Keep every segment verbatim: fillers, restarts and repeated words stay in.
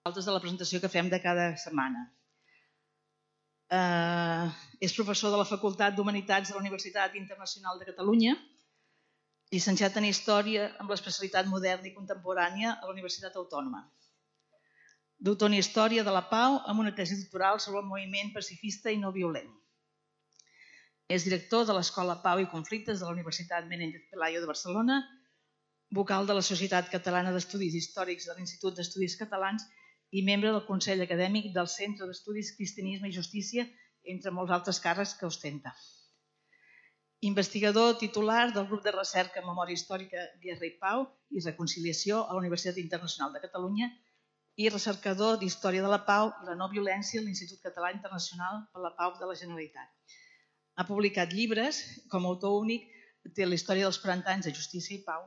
de la presentació que fem de cada setmana. Eh, és professor de la Facultat d'Humanitats de la Universitat Internacional de Catalunya, llicenciat en Història amb l'especialitat moderna i contemporània a la Universitat Autònoma. Doctor en Història de la Pau amb una tesi doctoral sobre el moviment pacifista i no violent. És director de l'Escola Pau i Conflictes de la Universitat Menéndez Pelayo de Barcelona, vocal de la Societat Catalana d'Estudis Històrics de l'Institut d'Estudis Catalans i membre del Consell Acadèmic del Centre d'Estudis Cristianisme i Justícia, entre molts altres càrrecs que ostenta. Investigador titular del grup de recerca en Memòria Històrica, Guerra i Pau i Reconciliació a la Universitat Internacional de Catalunya i recercador d'Història de la Pau i la no violència a l'Institut Català Internacional per la Pau de la Generalitat. Ha publicat llibres, com a autor únic, té la història dels quaranta anys de Justícia i Pau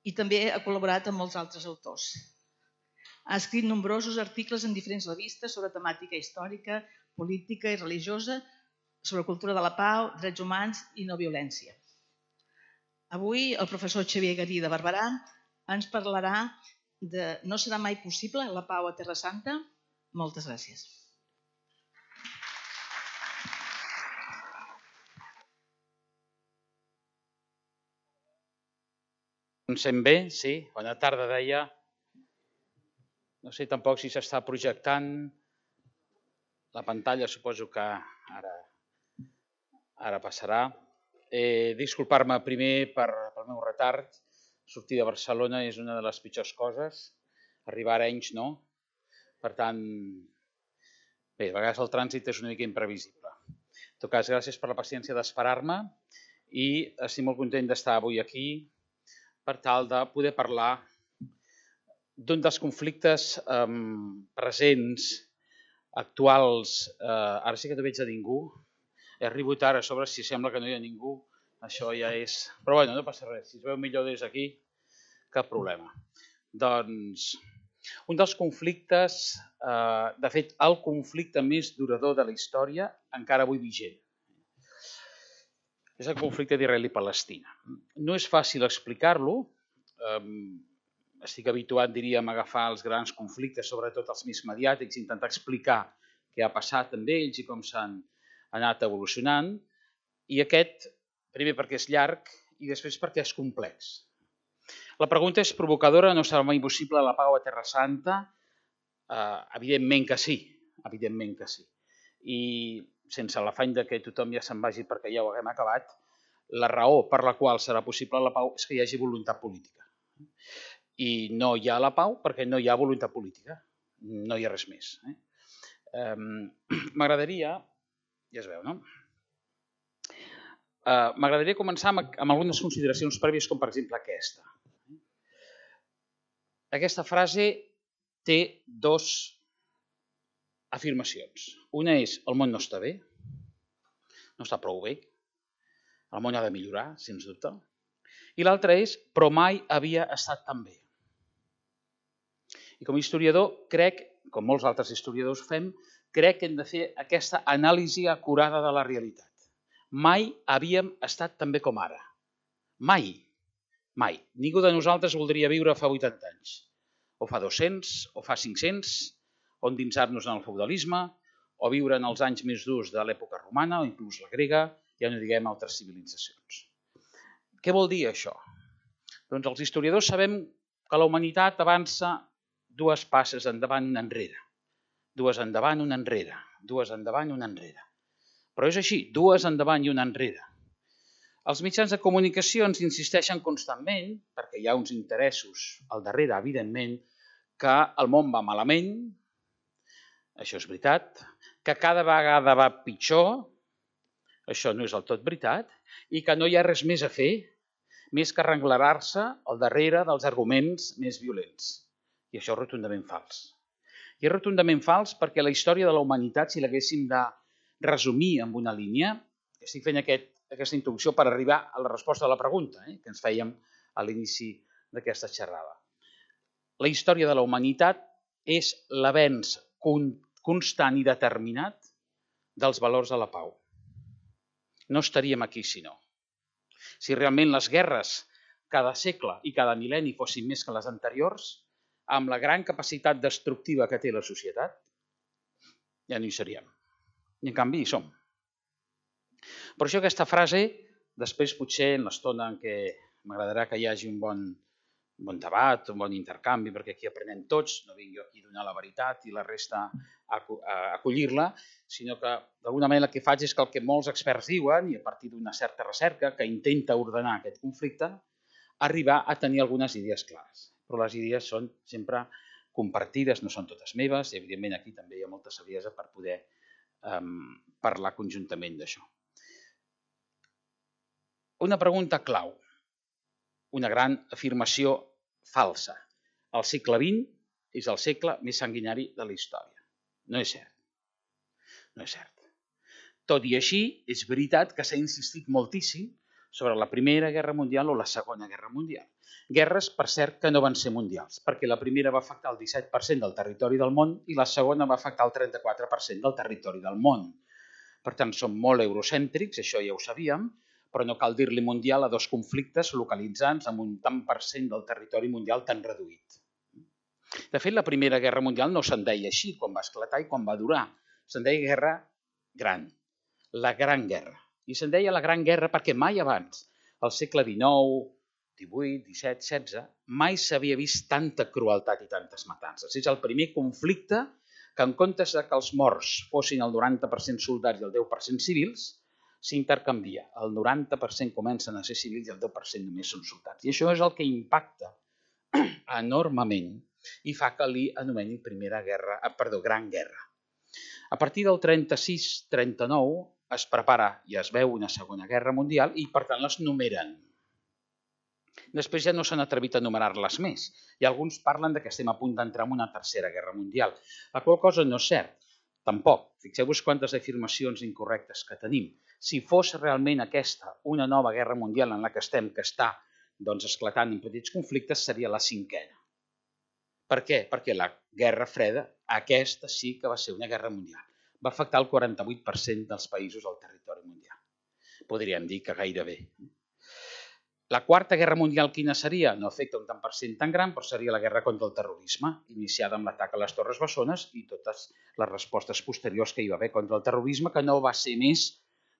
i també ha col·laborat amb molts altres autors. Ha escrit nombrosos articles en diferents revistes sobre temàtica històrica, política i religiosa, sobre cultura de la pau, drets humans i no violència. Avui el professor Xavier Garí de Barberà ens parlarà de No serà mai possible la pau a Terra Santa? Moltes gràcies. Em sent bé? Sí. Bona tarda, deia. No sé tampoc si s'està projectant la pantalla, suposo que ara, ara passarà. Eh, Disculpar-me primer per, pel meu retard. Sortir de Barcelona és una de les pitjors coses. Arribar a Arenys no. Per tant, bé, a vegades el trànsit és una mica imprevisible. En tot cas, gràcies per la paciència d'esperar-me i estic molt content d'estar avui aquí per tal de poder parlar d'un dels conflictes eh, presents, actuals. Eh, ara sí que no veig a ningú. He arribat ara a sobre, si sembla que no hi ha ningú, això ja és... Però bueno, no passa res. Si es veu millor des d'aquí, cap problema. Doncs, un dels conflictes, eh, de fet, el conflicte més durador de la història, encara avui vigent. És el conflicte d'Israel i Palestina. No és fàcil explicar-lo. Eh, Estic habituat, diríem, a agafar els grans conflictes, sobretot els més mediàtics, i intentar explicar què ha passat amb ells i com s'han anat evolucionant. I aquest, primer perquè és llarg i després perquè és complex. La pregunta és provocadora, no serà mai possible la pau a Terra Santa? Eh, evidentment que sí, evidentment que sí. I sense l'afany que tothom ja se'n vagi perquè ja ho haguem acabat, la raó per la qual serà possible la pau és que hi hagi voluntat política. I no hi ha la pau perquè no hi ha voluntat política. No hi ha res més. Eh? Um, M'agradaria, ja es veu, no? Uh, M'agradaria començar amb, amb algunes consideracions prèvies, com per exemple aquesta. Aquesta frase té dos afirmacions. Una és, el món no està bé, no està prou bé, el món ha de millorar, sens dubte. I l'altra és, però mai havia estat tan bé. I com a historiador, crec, com molts altres historiadors fem, crec que hem de fer aquesta anàlisi acurada de la realitat. Mai havíem estat tan bé com ara. Mai. Mai. Ningú de nosaltres voldria viure fa vuitanta anys. O fa dos-cents, o fa cinc-cents, o endinsar-nos en el feudalisme, o viure en els anys més durs de l'època romana, o inclús la grega, ja no diguem altres civilitzacions. Què vol dir això? Doncs els historiadors sabem que la humanitat avança dues passes endavant, una enrere. Dues endavant, una enrere. Dues endavant, una enrere. Però és així, dues endavant i una enrere. Els mitjans de comunicació ens insisteixen constantment, perquè hi ha uns interessos al darrere, evidentment, que el món va malament, això és veritat, que cada vegada va pitjor, això no és del tot veritat, i que no hi ha res més a fer, més que arrenglerar-se al darrere dels arguments més violents. I això és rotundament fals. I és rotundament fals perquè la història de la humanitat, si l'haguéssim de resumir amb una línia, estic fent aquest, aquesta introducció per arribar a la resposta a la pregunta eh, que ens fèiem a l'inici d'aquesta xerrada. La història de la humanitat és l'avenç constant i determinat dels valors de la pau. No estaríem aquí si no. Si realment les guerres cada segle i cada mil·lenni fossin més que les anteriors, amb la gran capacitat destructiva que té la societat, ja no hi seríem. I en canvi hi som. Per això aquesta frase, després potser en l'estona en què m'agradarà que hi hagi un bon, un bon debat, un bon intercanvi, perquè aquí aprenem tots, no vinc jo aquí a donar la veritat i la resta a acollir-la, sinó que d'alguna manera el que faig és que el que molts experts diuen, i a partir d'una certa recerca que intenta ordenar aquest conflicte, arribar a tenir algunes idees clares. Però les idees són sempre compartides, no són totes meves, i evidentment aquí també hi ha molta saviesa per poder um, parlar conjuntament d'això. Una pregunta clau, una gran afirmació falsa. El segle vint és el segle més sanguinari de la història. No és cert. No és cert. Tot i així, és veritat que s'ha insistit moltíssim sobre la Primera Guerra Mundial o la Segona Guerra Mundial. Guerres, per cert, que no van ser mundials, perquè la primera va afectar el disset per cent del territori del món i la segona va afectar el trenta-quatre per cent del territori del món. Per tant, som molt eurocèntrics, això ja ho sabíem, però no cal dir-li mundial a dos conflictes localitzats amb un tant per cent del territori mundial tan reduït. De fet, la Primera Guerra Mundial no se'n deia així quan va esclatar i quan va durar. Se'n deia Guerra Gran, la Gran Guerra. I se'n deia la Gran Guerra perquè mai abans, al segle dinou, divuit, disset, setze, mai s'havia vist tanta crueltat i tantes matances. És el primer conflicte que en comptes que els morts fossin el noranta per cent soldats i el deu per cent civils, s'intercanvia. El noranta per cent comencen a ser civils i el deu per cent només són soldats. I això és el que impacta enormement i fa que li anomenin Primera Guerra, perdó, Gran Guerra. A partir del trenta-sis trenta-nou es prepara i es veu una Segona Guerra Mundial i, per tant, les numeren. Després ja no s'han atrevit a numerar-les més i alguns parlen que estem a punt d'entrar en una Tercera Guerra Mundial. La qual cosa no és cert, tampoc. Fixeu-vos quantes afirmacions incorrectes que tenim. Si fos realment aquesta una nova guerra mundial en la que estem, que està doncs, esclatant en petits conflictes, seria la cinquena. Per què? Perquè la Guerra Freda, aquesta sí que va ser una guerra mundial. Va afectar el quaranta-vuit per cent dels països del territori mundial. Podríem dir que gairebé. La Quarta Guerra Mundial quina seria? No afecta un tant per cent tan gran, però seria la guerra contra el terrorisme, iniciada amb l'atac a les Torres Bessones i totes les respostes posteriors que hi va haver contra el terrorisme, que no va ser més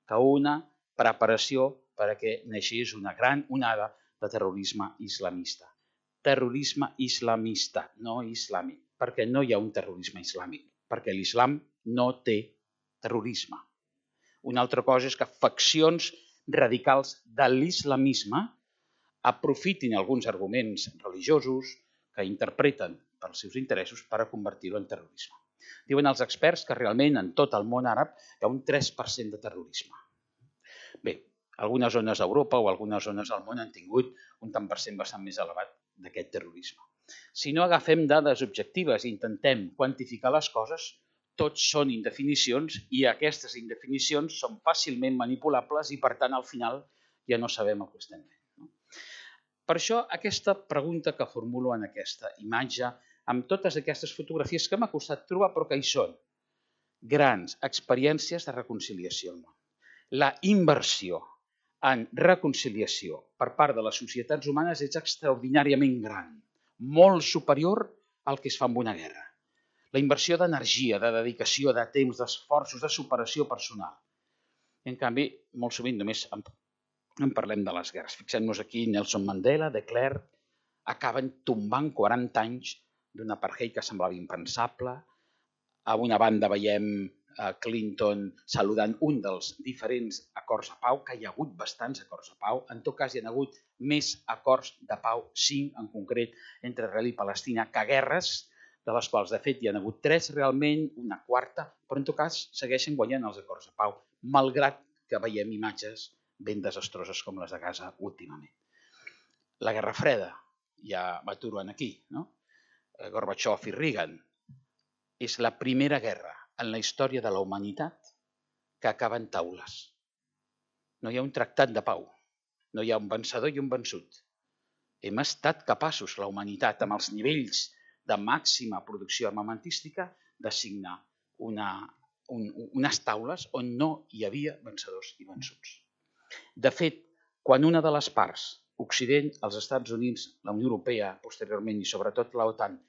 que una preparació perquè naixés una gran onada de terrorisme islamista. Terrorisme islamista, no islàmic, perquè no hi ha un terrorisme islàmic, perquè l'islam no té terrorisme. Una altra cosa és que faccions radicals de l'islamisme aprofitin alguns arguments religiosos que interpreten pels seus interessos per a convertir-ho en terrorisme. Diuen els experts que realment en tot el món àrab hi ha un tres per cent de terrorisme. Bé, algunes zones d'Europa o algunes zones del món han tingut un tant per cent bastant més elevat d'aquest terrorisme. Si no agafem dades objectives i intentem quantificar les coses, tots són indefinicions i aquestes indefinicions són fàcilment manipulables i, per tant, al final ja no sabem el que estem fent. Per això, aquesta pregunta que formulo en aquesta imatge, amb totes aquestes fotografies que m'ha costat trobar, però que hi són, grans experiències de reconciliació al món. La inversió en reconciliació per part de les societats humanes és extraordinàriament gran, molt superior al que es fa en una guerra. La inversió d'energia, de dedicació, de temps, d'esforços, de superació personal. En canvi, molt sovint només en, en parlem de les guerres. Fixem-nos aquí, Nelson Mandela, de Klerk, acaben tombant quaranta anys d'un apartheid que semblava impensable. A una banda veiem a Clinton saludant un dels diferents acords de pau, que hi ha hagut bastants acords de pau. En tot cas, hi ha hagut més acords de pau, cinc en concret, entre Israel i Palestina, que guerres, de les quals, de fet, hi ha hagut tres realment, una quarta, però en tot cas segueixen guanyant els acords de pau, malgrat que veiem imatges ben desastroses com les de Gaza últimament. La Guerra Freda, ja m'aturo aquí, no? Gorbachev i Reagan, és la primera guerra en la història de la humanitat que acaba en taules. No hi ha un tractat de pau, no hi ha un vencedor i un vençut. Hem estat capaços, la humanitat, amb els nivells de màxima producció armamentística, de signar una, un, unes taules on no hi havia vencedors i vençuts. De fet, quan una de les parts, Occident, els Estats Units, la Unió Europea, posteriorment i sobretot l'OTAN,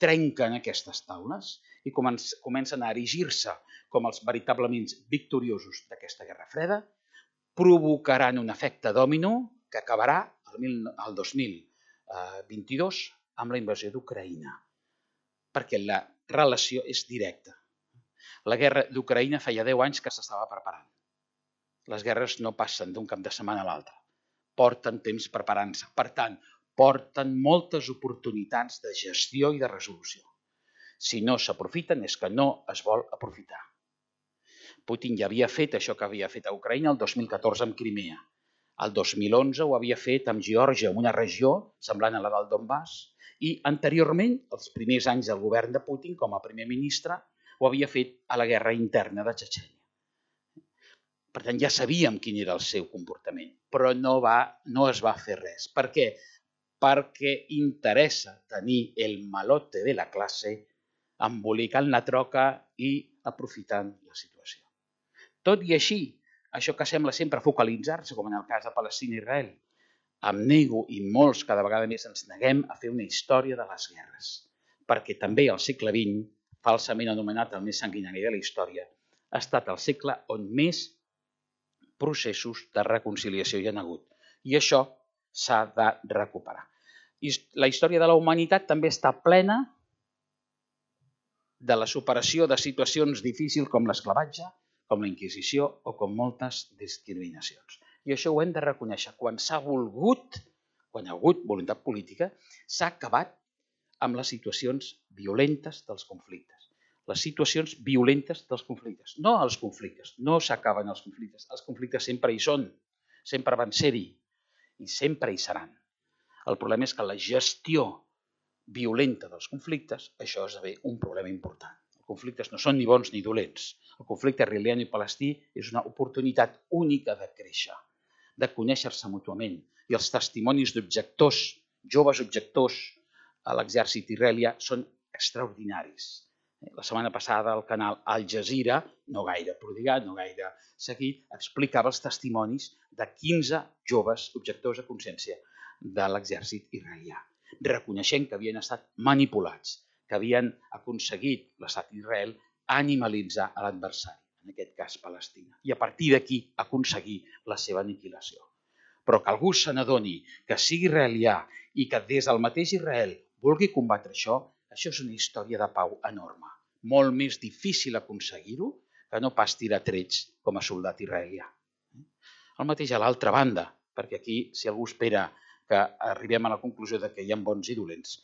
trenquen aquestes taules i comencen a erigir-se com els veritablement victoriosos d'aquesta Guerra Freda, provocaran un efecte dòmino que acabarà el dos mil vint-i-dos amb la invasió d'Ucraïna, perquè la relació és directa. La guerra d'Ucraïna feia deu anys que s'estava preparant. Les guerres no passen d'un cap de setmana a l'altre. Porten temps preparant-se. Per tant, porten moltes oportunitats de gestió i de resolució. Si no s'aprofiten és que no es vol aprofitar. Putin ja havia fet això que havia fet a Ucraïna el dos mil catorze amb Crimea. El dos mil onze ho havia fet amb Geòrgia, una regió semblant a la del Donbass, i anteriorment, els primers anys del govern de Putin com a primer ministre, ho havia fet a la guerra interna de Txetxènia. Per tant, ja sabíem quin era el seu comportament, però no, va, no es va fer res. Per què? Perquè interessa tenir el malote de la classe embolicant la troca i aprofitant la situació. Tot i així, això que sembla sempre focalitzar-se, com en el cas de Palestina i Israel, em nego i molts cada vegada més ens neguem a fer una història de les guerres, perquè també el segle vint, falsament anomenat el més sanguinari de la història, ha estat el segle on més processos de reconciliació hi ha hagut. I això s'ha de recuperar. I la història de la humanitat també està plena de la superació de situacions difícils com l'esclavatge, com la Inquisició o com moltes discriminacions. I això ho hem de reconèixer. Quan s'ha volgut, quan hi ha hagut voluntat política, s'ha acabat amb les situacions violentes dels conflictes. Les situacions violentes dels conflictes. No els conflictes, no s'acaben els conflictes. Els conflictes sempre hi són, sempre van ser-hi i sempre hi seran. El problema és que la gestió violenta dels conflictes, això esdevé un problema important. Els conflictes no són ni bons ni dolents. El conflicte israelià i palestí és una oportunitat única de créixer, de conèixer-se mútuament. I els testimonis d'objectors, joves objectors a l'exèrcit israelià són extraordinaris. La setmana passada el canal Al Jazeera, no gaire prodigat, no gaire seguit, explicava els testimonis de quinze joves objectors a consciència de l'exèrcit israelià, reconeixent que havien estat manipulats, que havien aconseguit l'estat d'Israel animalitzar a l'adversari, en aquest cas Palestina, i a partir d'aquí aconseguir la seva aniquilació. Però que algú se n'adoni que sigui israelià i que des del mateix Israel vulgui combatre això, això és una història de pau enorme. Molt més difícil aconseguir-ho que no pas tirar trets com a soldat israelià. El mateix a l'altra banda, perquè aquí, si algú espera que arribem a la conclusió de que hi ha bons i dolents,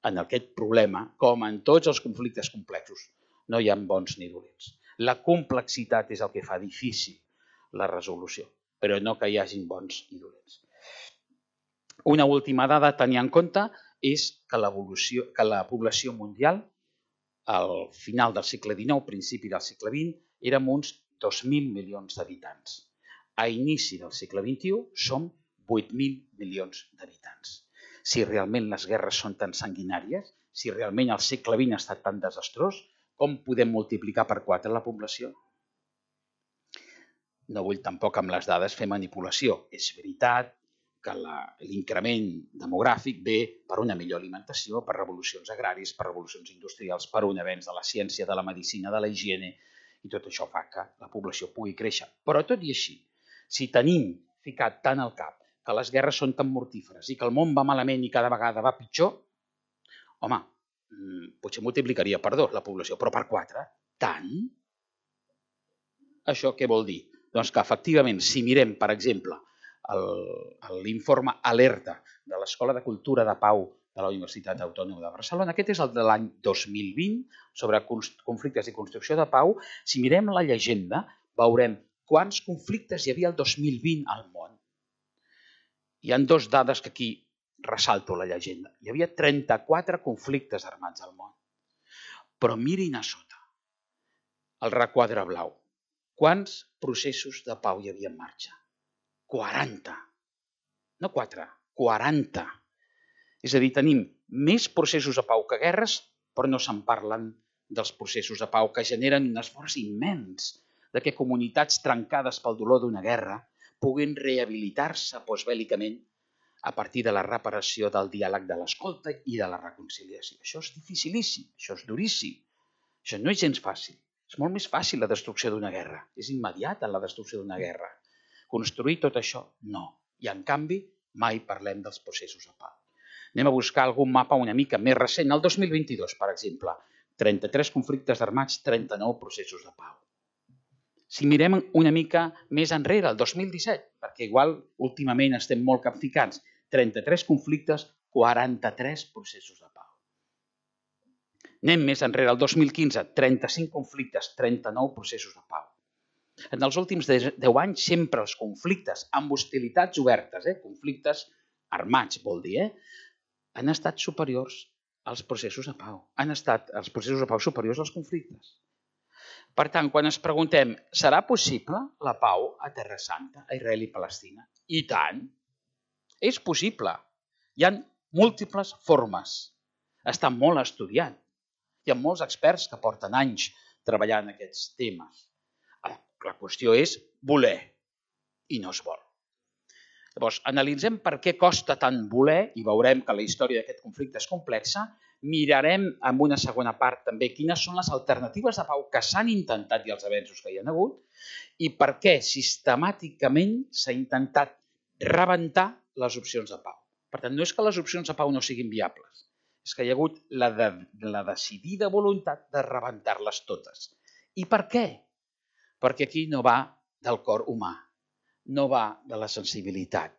en aquest problema, com en tots els conflictes complexos, no hi ha bons ni dolents. La complexitat és el que fa difícil la resolució, però no que hi hagin bons i dolents. Una última dada a tenir en compte és que, que la població mundial al final del segle dinou, principi del segle vint, érem uns dos mil milions d'habitants. A inici del segle vint-i-u som vuit mil milions d'habitants. Si realment les guerres són tan sanguinàries, si realment el segle vint ha estat tan desastrós, com podem multiplicar per quatre la població? No vull tampoc amb les dades fer manipulació. És veritat que l'increment demogràfic ve per una millor alimentació, per revolucions agràries, per revolucions industrials, per un avenç de la ciència, de la medicina, de la higiene, i tot això fa que la població pugui créixer. Però tot i així, si tenim ficat tant al cap que les guerres són tan mortíferes i que el món va malament i cada vegada va pitjor, home, potser multiplicaria per dos la població, però per quatre, tant? Això què vol dir? Doncs que efectivament, si mirem, per exemple, l'informe Alerta de l'Escola de Cultura de Pau de la Universitat Autònoma de Barcelona, aquest és el de l'any dos mil vint, sobre conflictes i construcció de pau. Si mirem la llegenda, veurem quants conflictes hi havia el dos mil vint al món. Hi ha dues dades que aquí ressalto la llegenda. Hi havia trenta-quatre conflictes armats al món. Però mirin a sota, el requadre blau. Quants processos de pau hi havia en marxa? quaranta. No quatre, quaranta. És a dir, tenim més processos de pau que guerres, però no se'n parlen dels processos de pau que generen un esforç immens de que comunitats trencades pel dolor d'una guerra puguin rehabilitar-se postbèl·licament a partir de la reparació del diàleg de l'escolta i de la reconciliació. Això és dificilíssim, això és duríssim, això no és gens fàcil. És molt més fàcil la destrucció d'una guerra, és immediata la destrucció d'una guerra. Construir tot això, no. I en canvi, mai parlem dels processos de pau. Anem a buscar algun mapa una mica més recent, el dos mil vint-i-dos, per exemple. trenta-tres conflictes armats, trenta-nou processos de pau. Si mirem una mica més enrere, el dos mil disset, perquè igual últimament estem molt capficats, trenta-tres conflictes, quaranta-tres processos de pau. Anem més enrere, el dos mil quinze, trenta-cinc conflictes, trenta-nou processos de pau. En els últims deu anys, sempre els conflictes amb hostilitats obertes, eh, conflictes armats, vol dir, eh, han estat superiors als processos de pau. Han estat els processos de pau superiors als conflictes. Per tant, quan ens preguntem, serà possible la pau a Terra Santa, a Israel i Palestina? I tant! És possible. Hi ha múltiples formes. Està molt estudiat. Hi ha molts experts que porten anys treballant aquests temes. La qüestió és voler, i no es vol. Llavors, analitzem per què costa tant voler, i veurem que la història d'aquest conflicte és complexa. Mirarem en una segona part també quines són les alternatives de pau que s'han intentat i els avenços que hi ha hagut, i per què sistemàticament s'ha intentat rebentar les opcions de pau. Per tant, no és que les opcions de pau no siguin viables, és que hi ha hagut la, de, la decidida voluntat de rebentar-les totes. I per què? Perquè aquí no va del cor humà, no va de la sensibilitat,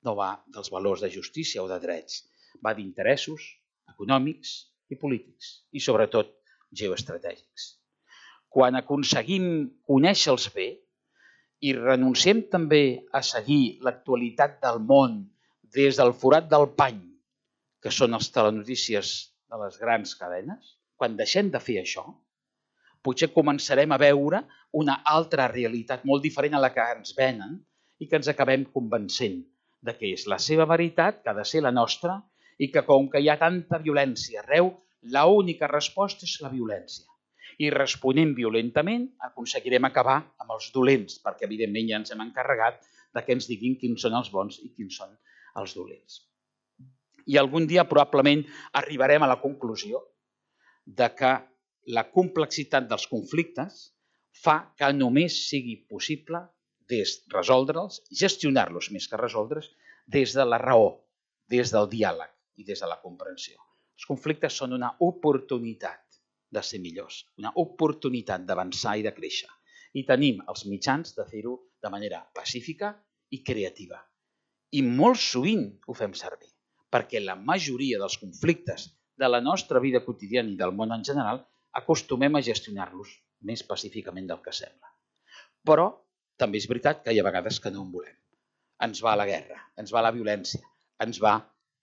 no va dels valors de justícia o de drets, va d'interessos econòmics i polítics i, sobretot, geoestratègics. Quan aconseguim conèixer-los bé i renunciem també a seguir l'actualitat del món des del forat del pany, que són les telenotícies de les grans cadenes, quan deixem de fer això, potser començarem a veure una altra realitat molt diferent a la que ens venen i que ens acabem convencent de que és la seva veritat, que ha de ser la nostra, i que com que hi ha tanta violència arreu, l'única resposta és la violència. I responent violentament aconseguirem acabar amb els dolents, perquè evidentment ja ens hem encarregat de que ens diguin quins són els bons i quins són els dolents. I algun dia probablement arribarem a la conclusió de que la complexitat dels conflictes fa que només sigui possible resoldre'ls, gestionar-los més que resoldre'ls, des de la raó, des del diàleg i des de la comprensió. Els conflictes són una oportunitat de ser millors, una oportunitat d'avançar i de créixer. I tenim els mitjans de fer-ho de manera pacífica i creativa. I molt sovint ho fem servir, perquè la majoria dels conflictes de la nostra vida quotidiana i del món en general acostumem a gestionar-los més pacíficament del que sembla. Però també és veritat que hi ha vegades que no en volem. Ens va la guerra, ens va la violència, ens va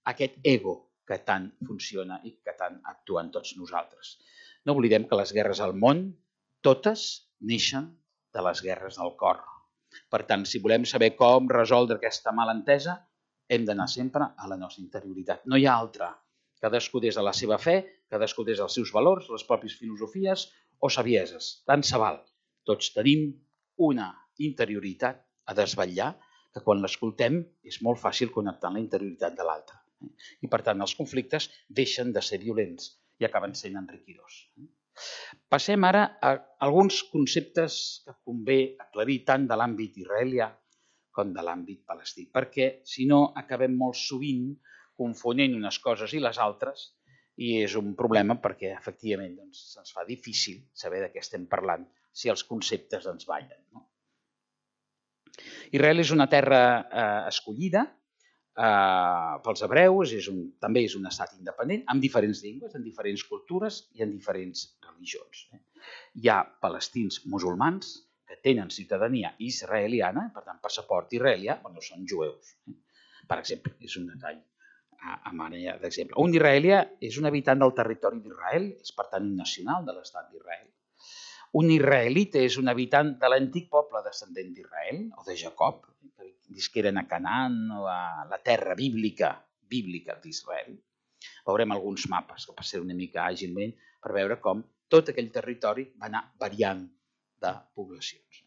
aquest ego que tant funciona i que tant actua en tots nosaltres. No oblidem que les guerres al món, totes neixen de les guerres del cor. Per tant, si volem saber com resoldre aquesta malentesa, hem d'anar sempre a la nostra interioritat. No hi ha altra. Cadascú des de la seva fe, cadascú des dels seus valors, les pròpies filosofies o sabieses. Tant se val. Tots tenim una interioritat a desvetllar que quan l'escoltem és molt fàcil connectar amb la interioritat de l'altre. I per tant els conflictes deixen de ser violents i acaben sent enriquidors. Passem ara a alguns conceptes que convé aclarir tant de l'àmbit israelià com de l'àmbit palestí, perquè si no acabem molt sovint confonent unes coses i les altres i és un problema perquè efectivament doncs, se'ns fa difícil saber de què estem parlant si els conceptes ens ballen. No? Israel és una terra eh, escollida eh, pels hebreus, és un, també és un estat independent, amb diferents llengües, amb diferents cultures i amb diferents religions. Eh? Hi ha palestins musulmans que tenen ciutadania israeliana, per tant, passaport israelià, però no són jueus. Eh? Per exemple, és un detall a, a manera d'exemple. Un israelià és un habitant del territori d'Israel, és per tant un nacional de l'estat d'Israel. Un israelita és un habitant de l'antic poble descendent d'Israel, o de Jacob, que visqueren a Canaan o a la terra bíblica, bíblica d'Israel. Veurem alguns mapes que passaran una mica àgilment per veure com tot aquell territori va anar variant de poblacions.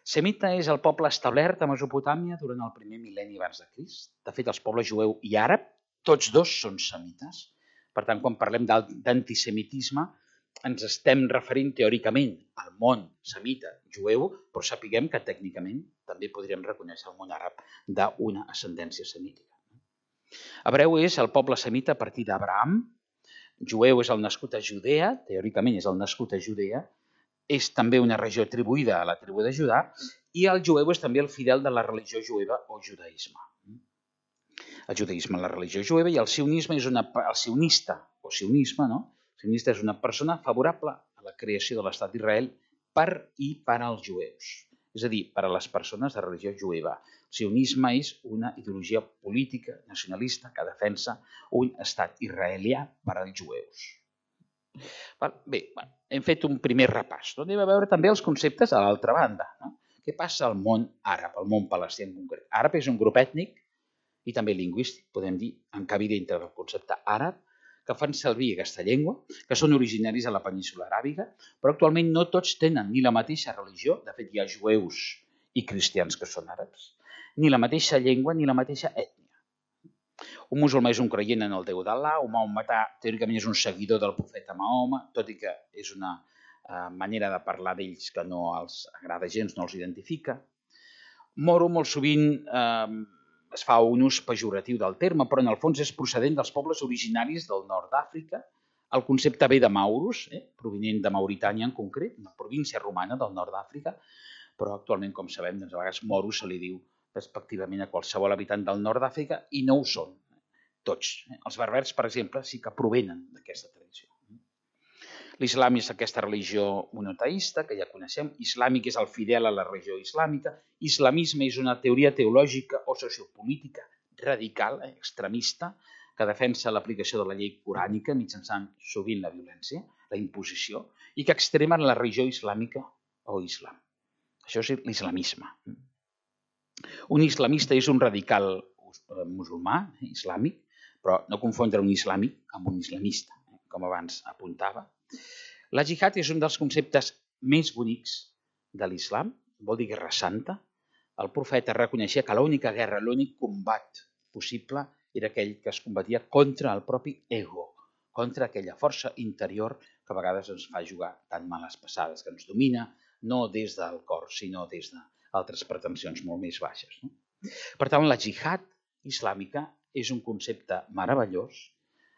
Semita és el poble establert a Mesopotàmia durant el primer mil·lenni abans de Crist. De fet, els pobles jueu i àrab, tots dos són semites. Per tant, quan parlem d'antisemitisme, ens estem referint teòricament al món semita jueu, però sapiguem que tècnicament també podríem reconèixer el món àrab d'una ascendència semítica. Hebreu és el poble semita a partir d'Abraham, jueu és el nascut a Judea, teòricament és el nascut a Judea, és també una regió atribuïda a la tribu de Judà, i el jueu és també el fidel de la religió jueva o judaïsme. El judaïsme és la religió jueva i el sionisme és una, el sionista o sionisme, no? El sionista és una persona favorable a la creació de l'estat d'Israel per i per als jueus, és a dir, per a les persones de religió jueva. El sionisme és una ideologia política nacionalista que defensa un estat israelià per als jueus. Bé, hem fet un primer repàs. Anem a veure també els conceptes a l'altra banda. Què passa al món àrab, al món palestí en concret? Àrab és un grup ètnic i també lingüístic, podem dir, encabi dintre del concepte àrab, que fan servir aquesta llengua, que són originaris a la península aràbiga, però actualment no tots tenen ni la mateixa religió, de fet hi ha jueus i cristians que són àrabs, ni la mateixa llengua ni la mateixa ètnia. Un musulmà és un creient en el Déu d'Al·là, un maometà teòricament és un seguidor del profeta Mahoma, tot i que és una manera de parlar d'ells que no els agrada gens, no els identifica. Moro molt sovint es fa un ús pejoratiu del terme, però en el fons és procedent dels pobles originaris del nord d'Àfrica. El concepte ve de Maurus, provinent de Mauritània en concret, una província romana del nord d'Àfrica, però actualment, com sabem, a vegades Moro se li diu respectivament a qualsevol habitant del nord d'Àfrica i no ho són tots. Els berbers, per exemple, sí que provenen d'aquesta tradició. L'islam és aquesta religió monoteista que ja coneixem. Islàmic és el fidel a la religió islàmica. Islamisme és una teoria teològica o sociopolítica radical, extremista, que defensa l'aplicació de la llei corànica mitjançant sovint la violència, la imposició, i que extrema la religió islàmica o islam. Això és l'islamisme. Un islamista és un radical musulmà, islàmic, però no confondre un islàmic amb un islamista, com abans apuntava. La jihad és un dels conceptes més bonics de l'islam, vol dir guerra santa. El profeta reconeixia que l'única guerra, l'únic combat possible era aquell que es combatia contra el propi ego, contra aquella força interior que a vegades ens fa jugar tan males passades, que ens domina no des del cor, sinó des d'altres pretensions molt més baixes. Per tant, la jihad islàmica és un concepte meravellós,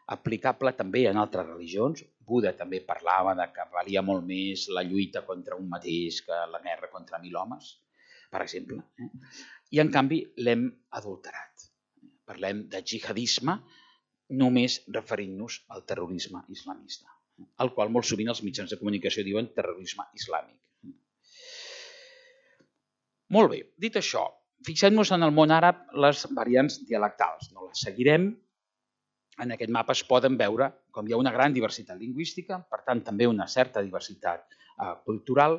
aplicable també en altres religions. Buda també parlava que valia molt més la lluita contra un mateix que la guerra contra mil homes, per exemple. I, en canvi, l'hem adulterat. Parlem de jihadisme només referint-nos al terrorisme islamista, al qual molt sovint els mitjans de comunicació diuen terrorisme islàmic. Molt bé, dit això, fixem-nos en el món àrab les variants dialectals. No les seguirem. En aquest mapa es poden veure com hi ha una gran diversitat lingüística, per tant també una certa diversitat cultural.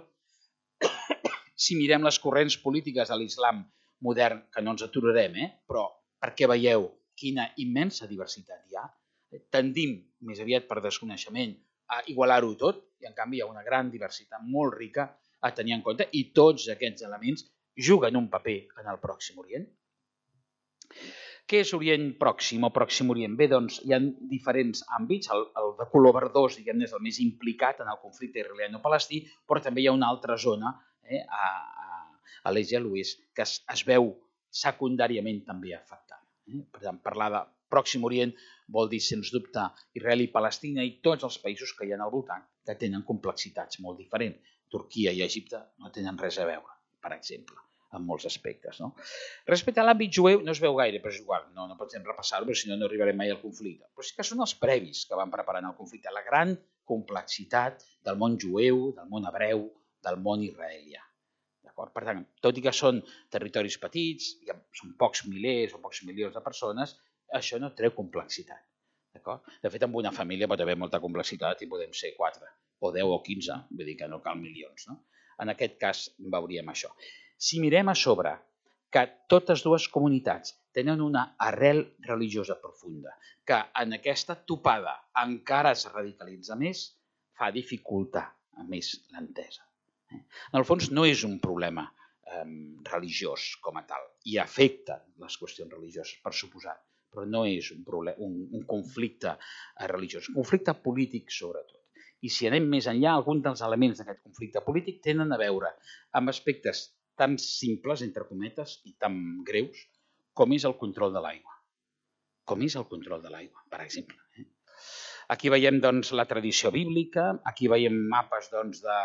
Si mirem les corrents polítiques de l'islam modern, que no ens aturarem, però perquè veieu quina immensa diversitat hi ha, tendim més aviat per desconeixement a igualar-ho tot i en canvi hi ha una gran diversitat molt rica a tenir en compte i tots aquests elements juguen un paper en el Pròxim Orient. Què és Orient Pròxim o Pròxim Orient? Bé, doncs hi ha diferents àmbits. El, el de color verdós, diguem, és el més implicat en el conflicte israeliano-palestí, però també hi ha una altra zona eh, a, a, a l'est i a l'oest que es, es veu secundàriament també afectada. Eh? Per tant, parlar de Pròxim Orient vol dir, sens dubte, Israel i Palestina i tots els països que hi ha al voltant que tenen complexitats molt diferents. Turquia i Egipte no tenen res a veure, per exemple, en molts aspectes. No? Respecte a l'àmbit jueu, no es veu gaire, però és igual, no, no podem repassar-ho, perquè si no, no arribarem mai al conflicte. Però sí que són els previs que van preparant el conflicte, la gran complexitat del món jueu, del món hebreu, del món israelià. Per tant, tot i que són territoris petits, són pocs milers o pocs milions de persones, això no treu complexitat. De fet, en una família pot haver molta complexitat i podem ser quatre, o deu o quinze, vull dir que no cal milions. No? En aquest cas veuríem això. Si mirem a sobre que totes dues comunitats tenen una arrel religiosa profunda, que en aquesta topada encara es radicalitza més, fa dificultar més l'entesa. En el fons no és un problema religiós com a tal i afecten les qüestions religioses, per suposat, però no és un, problema, un, un conflicte religiós, un conflicte polític sobretot. I si anem més enllà, alguns dels elements d'aquest conflicte polític tenen a veure amb aspectes tan simples, entre cometes, i tan greus, com és el control de l'aigua. Com és el control de l'aigua, per exemple. Aquí veiem doncs, la tradició bíblica, aquí veiem mapes doncs, de,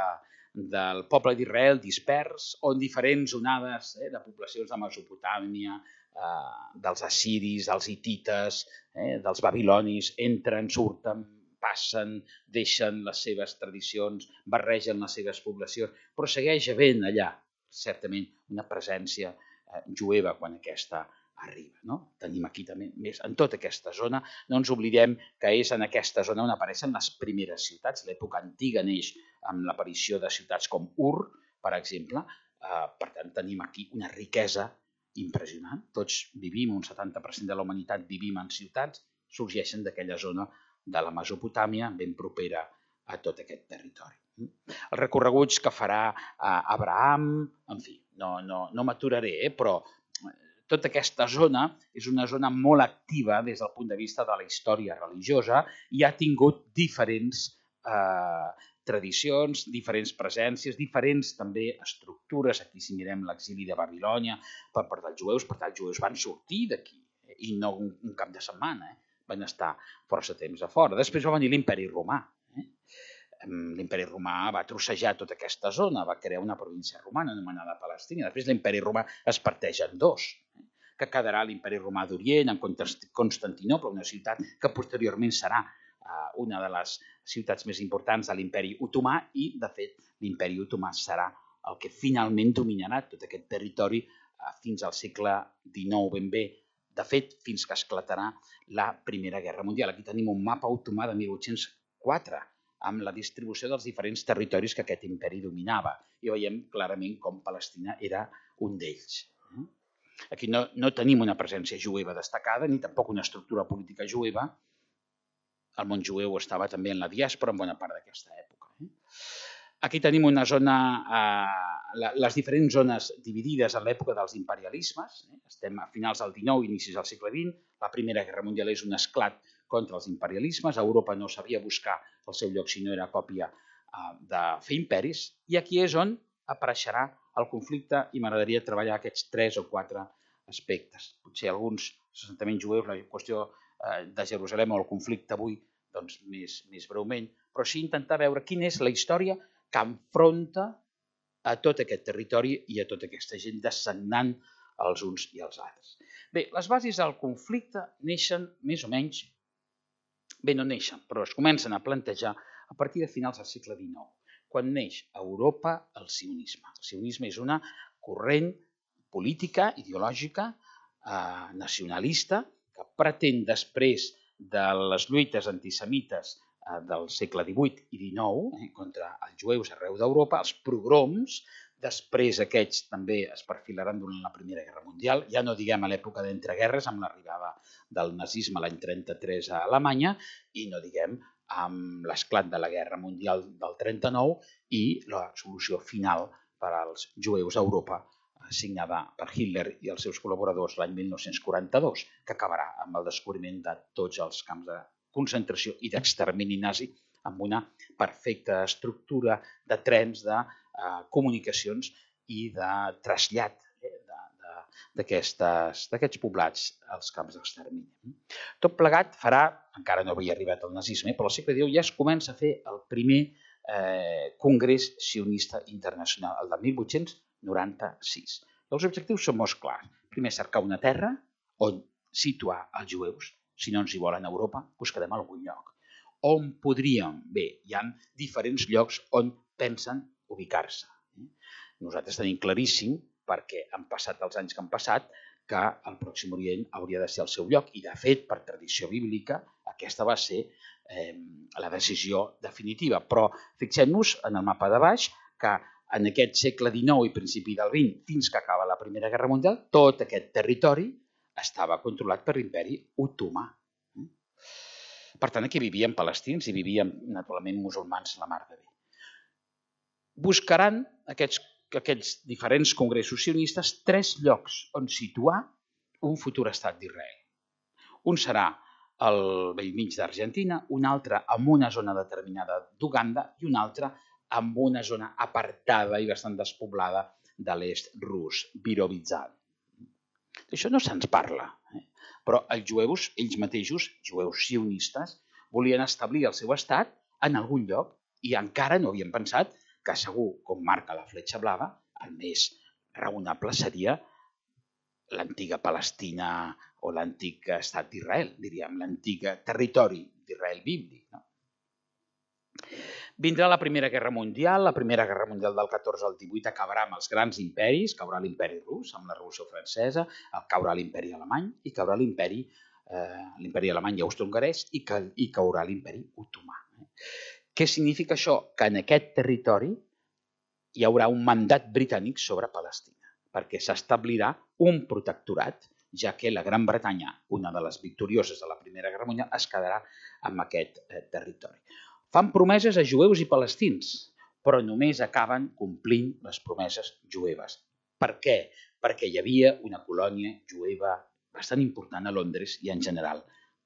del poble d'Israel dispers, on diferents onades eh, de poblacions de Mesopotàmia, eh, dels assiris, dels hitites, eh, dels babilonis, entren, surten, passen, deixen les seves tradicions, barregen les seves poblacions, però segueix havent allà, certament, una presència eh, jueva quan aquesta arriba. No? Tenim aquí també, més en tota aquesta zona, no ens oblidem que és en aquesta zona on apareixen les primeres ciutats. L'època antiga neix amb l'aparició de ciutats com Ur, per exemple. Eh, per tant, tenim aquí una riquesa impressionant. Tots vivim, un setanta per cent de la humanitat vivim en ciutats, sorgeixen d'aquella zona de la Mesopotàmia, ben propera a tot aquest territori. Els recorreguts que farà Abraham, en fi, no, no, no m'aturaré, eh, però tota aquesta zona és una zona molt activa des del punt de vista de la història religiosa i ha tingut diferents eh, tradicions, diferents presències, diferents també estructures. Aquí si mirem l'exili de Babilònia per part dels jueus, per tant els jueus van sortir d'aquí i no un, un cap de setmana, eh? Van estar força temps a fora. Després va venir l'imperi romà. Eh? L'imperi romà va trossejar tota aquesta zona, va crear una província romana anomenada Palestina. Després l'imperi romà es parteix en dos, eh? que quedarà l'imperi romà d'Orient en Constantinople, una ciutat que posteriorment serà eh, una de les ciutats més importants de l'imperi otomà i, de fet, l'imperi otomà serà el que finalment dominarà tot aquest territori eh, fins al segle dinou ben bé. De fet, fins que esclatarà la Primera Guerra Mundial. Aquí tenim un mapa otomà de mil vuit-cents quatre, amb la distribució dels diferents territoris que aquest imperi dominava. I veiem clarament com Palestina era un d'ells. Aquí no, no tenim una presència jueva destacada, ni tampoc una estructura política jueva. El món jueu estava també en la diàspora en bona part d'aquesta època. Aquí tenim una zona, eh, les diferents zones dividides en l'època dels imperialismes. Estem a finals del dinou, inicis del segle vint. La Primera Guerra Mundial és un esclat contra els imperialismes. A Europa no sabia buscar el seu lloc si no era còpia eh, de fer imperis. I aquí és on apareixerà el conflicte i m'agradaria treballar aquests tres o quatre aspectes. Potser alguns assentaments jueus, la qüestió eh, de Jerusalem o el conflicte avui, doncs més, més breument, però sí intentar veure quina és la història que enfronta a tot aquest territori i a tota aquesta gent dessagnant els uns i els altres. Bé, les bases del conflicte neixen més o menys, bé, no neixen, però es comencen a plantejar a partir de finals del segle dinou, quan neix a Europa el sionisme. El sionisme és una corrent política, ideològica, eh, nacionalista, que pretén després de les lluites antisemites del segle divuit i dinou eh, contra els jueus arreu d'Europa, els pogroms, després aquests també es perfilaran durant la Primera Guerra Mundial, ja no diguem a l'època d'entreguerres, amb l'arribada del nazisme l'any trenta-tres a Alemanya, i no diguem amb l'esclat de la Guerra Mundial del trenta-nou i la solució final per als jueus a Europa, signada per Hitler i els seus col·laboradors l'any mil nou-cents quaranta-dos, que acabarà amb el descobriment de tots els camps de concentració i d'extermini nazi amb una perfecta estructura de trens, de eh, comunicacions i de trasllat eh, d'aquests poblats als camps d'extermini. Tot plegat farà, encara no havia arribat el nazisme, però al segle dinou ja es comença a fer el primer eh, congrés sionista internacional, el de mil vuit-cents noranta-sis. Els objectius són molt clars. Primer, cercar una terra on situar els jueus. Si no ens hi volen a Europa, buscarem algun lloc. On podríem? Bé, hi ha diferents llocs on pensen ubicar-se. Nosaltres tenim claríssim, perquè han passat els anys que han passat, que el Pròxim Orient hauria de ser el seu lloc. I, de fet, per tradició bíblica, aquesta va ser eh, la decisió definitiva. Però fixem-nos en el mapa de baix que en aquest segle dinou i principi del vint, fins que acaba la Primera Guerra Mundial, tot aquest territori estava controlat per l'imperi otomà. Per tant, aquí vivien palestins i vivien, naturalment, musulmans la mar de bé. Buscaran aquests aquests diferents congressos sionistes tres llocs on situar un futur estat d'Israel. Un serà al bell mig d'Argentina, un altre en una zona determinada d'Uganda i un altre en una zona apartada i bastant despoblada de l'est rus, Birobidzhan. D'això no se'ns parla, eh? Però els jueus, ells mateixos, jueus sionistes, volien establir el seu estat en algun lloc i encara no havien pensat que segur, com marca la fletxa blava, el més raonable seria l'antiga Palestina o l'antic estat d'Israel, diríem, l'antic territori d'Israel bíblic. No? Vindrà la Primera Guerra Mundial, la Primera Guerra Mundial del catorze al divuit acabarà amb els grans imperis, caurà l'imperi rus amb la Revolució Francesa, caurà l'imperi alemany i caurà l'imperi eh, l'imperi alemany i austro-hongarès i, ca, i caurà l'imperi otomà. Què significa això? Que en aquest territori hi haurà un mandat britànic sobre Palestina, perquè s'establirà un protectorat, ja que la Gran Bretanya, una de les victorioses de la Primera Guerra Mundial, es quedarà en aquest eh, territori. Fan promeses a jueus i palestins, però només acaben complint les promeses jueves. Per què? Perquè hi havia una colònia jueva bastant important a Londres i en general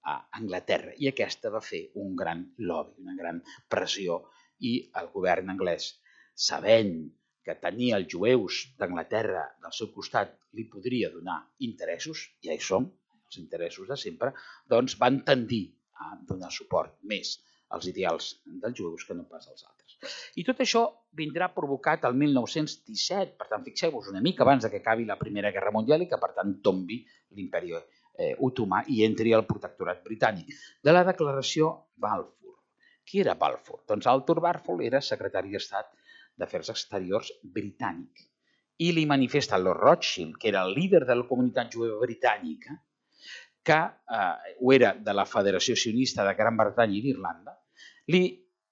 a Anglaterra. I aquesta va fer un gran lobby, una gran pressió i el govern anglès, sabent que tenir els jueus d'Anglaterra del seu costat li podria donar interessos, ja hi som, els interessos de sempre, doncs van tendir a donar suport més als ideals dels jueus que no pas als altres. I tot això vindrà provocat el mil nou-cents disset, per tant, fixeu-vos una mica abans que acabi la Primera Guerra Mundial i que, per tant, tombi l'imperi eh, otomà i entri al protectorat britànic, de la declaració Balfour. Qui era Balfour? Doncs Arthur Balfour era secretari d'Estat d'Afers Exteriors britànic i li manifesta Lord Rothschild, que era el líder de la comunitat jueva britànica, que eh, ho era de la Federació Sionista de Gran Bretanya i d'Irlanda, li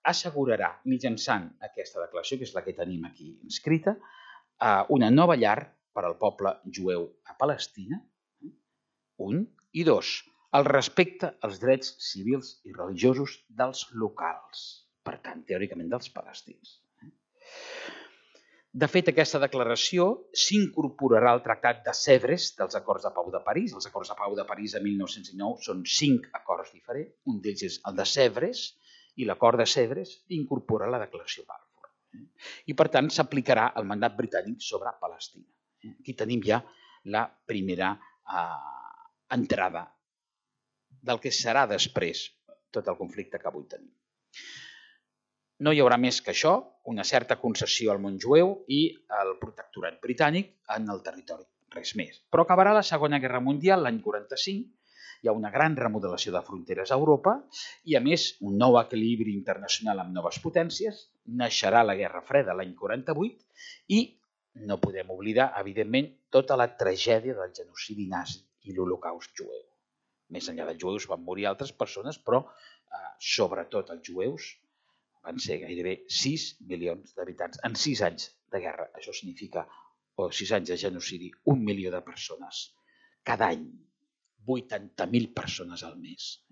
assegurarà, mitjançant aquesta declaració, que és la que tenim aquí inscrita, una nova llar per al poble jueu a Palestina, un, i dos, el respecte als drets civils i religiosos dels locals, per tant, teòricament dels palestins. De fet, aquesta declaració s'incorporarà al Tractat de Sèvres dels Acords de Pau de París. Els Acords de Pau de París de mil nou-cents dinou són cinc acords diferents. Un d'ells és el de Sèvres i l'acord de Sèvres incorpora la declaració Balfour. I, per tant, s'aplicarà el mandat britànic sobre Palestina. Aquí tenim ja la primera eh, entrada del que serà després tot el conflicte que avui tenim. No hi haurà més que això, una certa concessió al món jueu i el protectorat britànic en el territori, res més. Però acabarà la Segona Guerra Mundial l'any quaranta-cinc, hi ha una gran remodelació de fronteres a Europa i, a més, un nou equilibri internacional amb noves potències, naixerà la Guerra Freda l'any quaranta-vuit i no podem oblidar, evidentment, tota la tragèdia del genocidi nazi i l'Holocaust jueu. Més enllà dels jueus van morir altres persones, però eh, sobretot els jueus van ser gairebé sis milions d'habitants en sis anys de guerra. Això significa, o sis anys de genocidi, un milió de persones cada any, vuitanta mil persones al mes.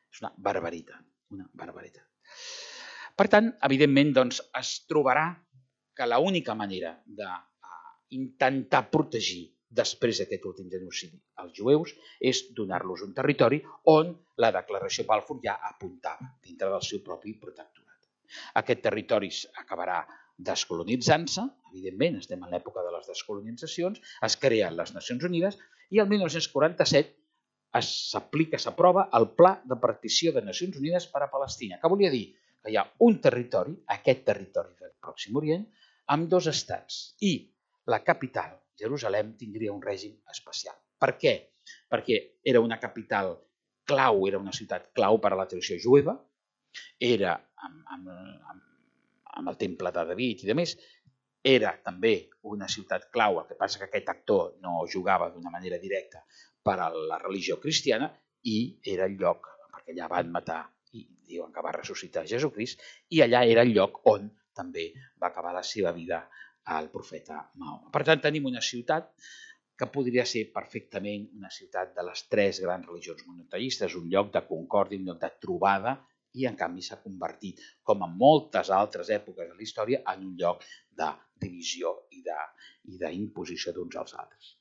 És una barbaritat, una barbaritat. Per tant, evidentment, doncs, es trobarà que l'única manera d'intentar protegir després d'aquest últim genocidi als jueus és donar-los un territori on la declaració Balfour ja apuntava dintre del seu propi protectorat. Aquest territori acabarà descolonitzant-se, evidentment, estem en l'època de les descolonitzacions, es creen les Nacions Unides i el mil nou-cents quaranta-set s'aplica, s'aprova el Pla de Partició de Nacions Unides per a Palestina, que volia dir que hi ha un territori, aquest territori del Pròxim Orient, amb dos estats i la capital, Jerusalem, tindria un règim especial. Per què? Perquè era una capital clau, era una ciutat clau per a la tradició jueva, era amb, amb, amb, amb el temple de David i de més, era també una ciutat clau, el que passa que aquest actor no jugava d'una manera directa per a la religió cristiana i era el lloc, perquè allà van matar i diuen que va ressuscitar Jesucrist, i allà era el lloc on també va acabar la seva vida el profeta Mahoma. Per tant, tenim una ciutat que podria ser perfectament una ciutat de les tres grans religions monoteistes, un lloc de concòrdia, un lloc de trobada i en canvi s'ha convertit, com en moltes altres èpoques de la història, en un lloc de divisió i d'imposició d'uns als altres.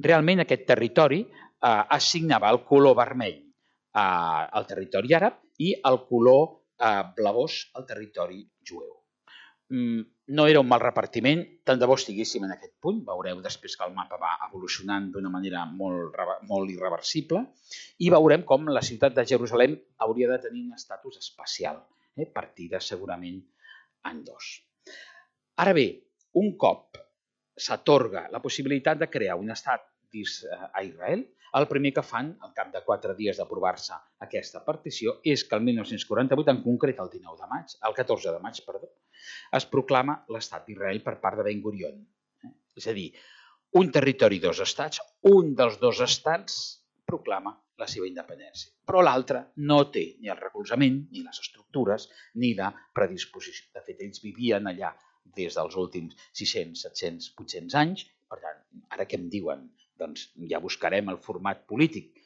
Realment aquest territori eh, assignava el color vermell eh, al territori àrab i el color eh, blavós al territori jueu. Mm, no era un mal repartiment, tant de bo estiguéssim en aquest punt, veureu després que el mapa va evolucionant d'una manera molt, molt irreversible i veurem com la ciutat de Jerusalem hauria de tenir un estatus especial, eh, partida segurament en dos. Ara bé, un cop s'atorga la possibilitat de crear un estat a Israel, el primer que fan, al cap de quatre dies d'aprovar-se aquesta partició, és que el mil nou-cents quaranta-vuit, en concret el dinou de maig, el catorze de maig, perdó, es proclama l'estat d'Israel per part de Ben Gurion. És a dir, un territori i dos estats, un dels dos estats proclama la seva independència, però l'altre no té ni el recolzament, ni les estructures, ni la predisposició. De fet, ells vivien allà des dels últims sis-cents, set-cents, vuit-cents anys. Per tant, ara què em diuen? Doncs ja buscarem el format polític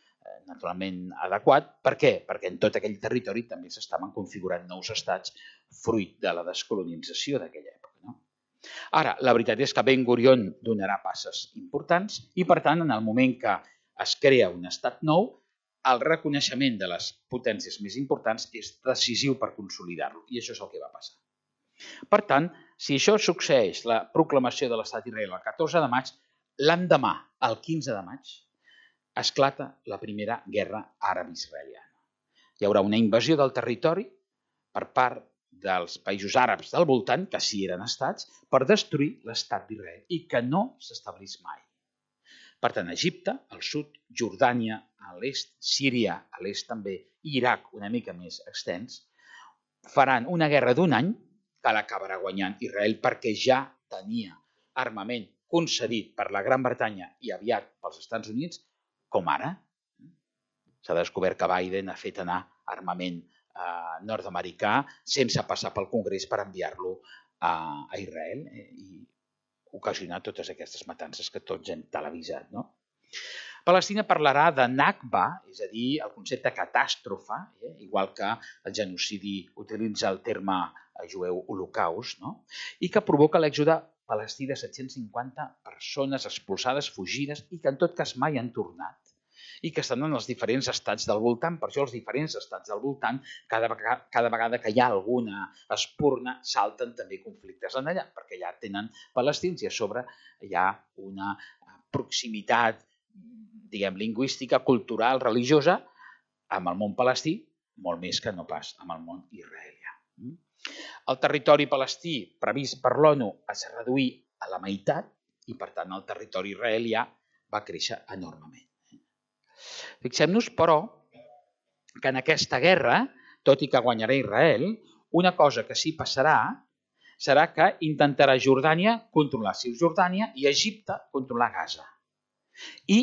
naturalment adequat. Per què? Perquè en tot aquell territori també s'estaven configurant nous estats fruit de la descolonització d'aquella època. No? Ara, la veritat és que Ben Gurion donarà passes importants i, per tant, en el moment que es crea un estat nou, el reconeixement de les potències més importants és decisiu per consolidar-lo, i això és el que va passar. Per tant, si això succeeix, la proclamació de l'estat d'Israel el catorze de maig, l'endemà, el quinze de maig, esclata la primera guerra àrab-israeliana. Hi haurà una invasió del territori per part dels països àrabs del voltant, que sí eren estats, per destruir l'estat d'Israel i que no s'establís mai. Per tant, Egipte, al sud, Jordània, a l'est, Síria, a l'est també, i Iraq, una mica més extens, faran una guerra d'un any que l'acabarà guanyant Israel perquè ja tenia armament concedit per la Gran Bretanya i aviat pels Estats Units, com ara. S'ha descobert que Biden ha fet anar armament eh, nord-americà sense passar pel Congrés per enviar-lo a, a Israel eh, i ocasionar totes aquestes matances que tots hem televisat. No? Palestina parlarà de Nakba, és a dir, el concepte catàstrofe, eh, igual que el genocidi utilitza el terme jueu holocaust, no? I que provoca l'èxode palestí de set-cents cinquanta persones expulsades, fugides, i que en tot cas mai han tornat, i que estan en els diferents estats del voltant. Per això els diferents estats del voltant, cada vegada, cada vegada que hi ha alguna espurna, salten també conflictes en allà, perquè ja tenen palestins i a sobre hi ha una proximitat, diguem, lingüística, cultural, religiosa, amb el món palestí, molt més que no pas amb el món israelià. El territori palestí previst per l'ONU es reduí a la meitat i, per tant, el territori israelià va créixer enormement. Fixem-nos, però, que en aquesta guerra, tot i que guanyarà Israel, una cosa que sí passarà serà que intentarà Jordània controlar Cisjordània i Egipte controlar Gaza. I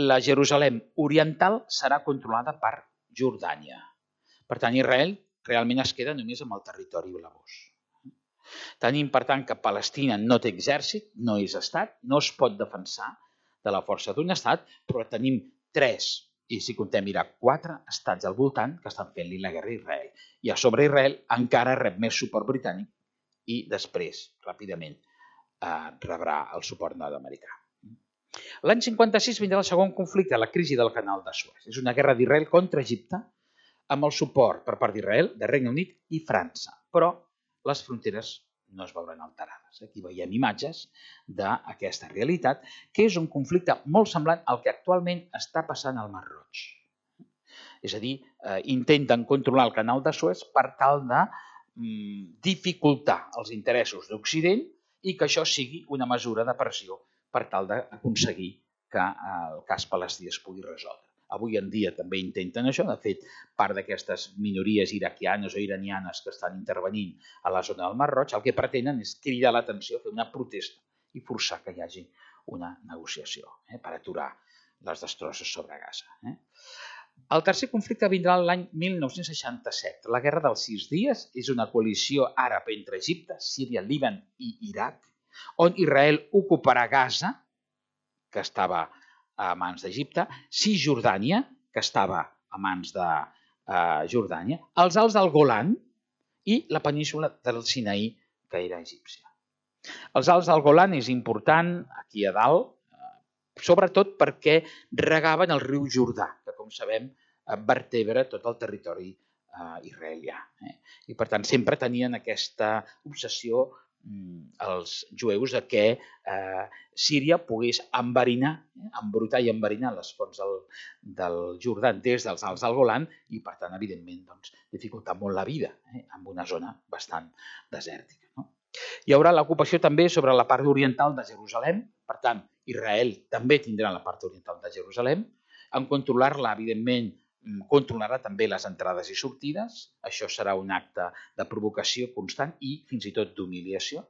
la Jerusalem oriental serà controlada per Jordània. Per tant, Israel realment es queda només amb el territori blavós. Tenim, per tant, que Palestina no té exèrcit, no és estat, no es pot defensar de la força d'un estat, però tenim tres, i si comptem Iraq, quatre estats al voltant que estan fent-li la guerra a Israel. I a sobre Israel encara rep més suport britànic i després, ràpidament, eh, rebrà el suport nord-americà. L'any cinquanta-sis vindrà el segon conflicte, la crisi del canal de Suez. És una guerra d'Israel contra Egipte, amb el suport per part d'Israel, de Regne Unit i França. Però les fronteres no es veuran alterades. Aquí veiem imatges d'aquesta realitat, que és un conflicte molt semblant al que actualment està passant al Mar Roig. És a dir, eh, intenten controlar el canal de Suez per tal de mm, dificultar els interessos d'Occident i que això sigui una mesura de pressió per tal d'aconseguir que el cas palestí es pugui resoldre. Avui en dia també intenten això. De fet, part d'aquestes minories iraquianes o iranianes que estan intervenint a la zona del Mar Roig, el que pretenen és cridar l'atenció, fer una protesta i forçar que hi hagi una negociació eh, per aturar les destrosses sobre Gaza. Eh. El tercer conflicte vindrà l'any mil nou-cents seixanta-set. La Guerra dels Sis Dies és una coalició àrab entre Egipte, Síria, Líban i Iraq, on Israel ocuparà Gaza, que estava a mans d'Egipte, Cisjordània, que estava a mans de, a Jordània, els Alts del Golan i la península del Sinaí, que era egípcia. Els Alts del Golan és important aquí a dalt, sobretot perquè regaven el riu Jordà, que com sabem vertebra tot el territori israelià. I per tant sempre tenien aquesta obsessió els jueus de que Síria pogués enverinar, embrutar i enverinar les fonts del Jordà des dels Alts del Golan i per tant evidentment dificultar molt la vida en una zona bastant desèrtica. Hi haurà l'ocupació també sobre la part oriental de Jerusalem, per tant Israel també tindrà la part oriental de Jerusalem. En controlar-la, evidentment, controlarà també les entrades i sortides. Això serà un acte de provocació constant i fins i tot d'humiliació.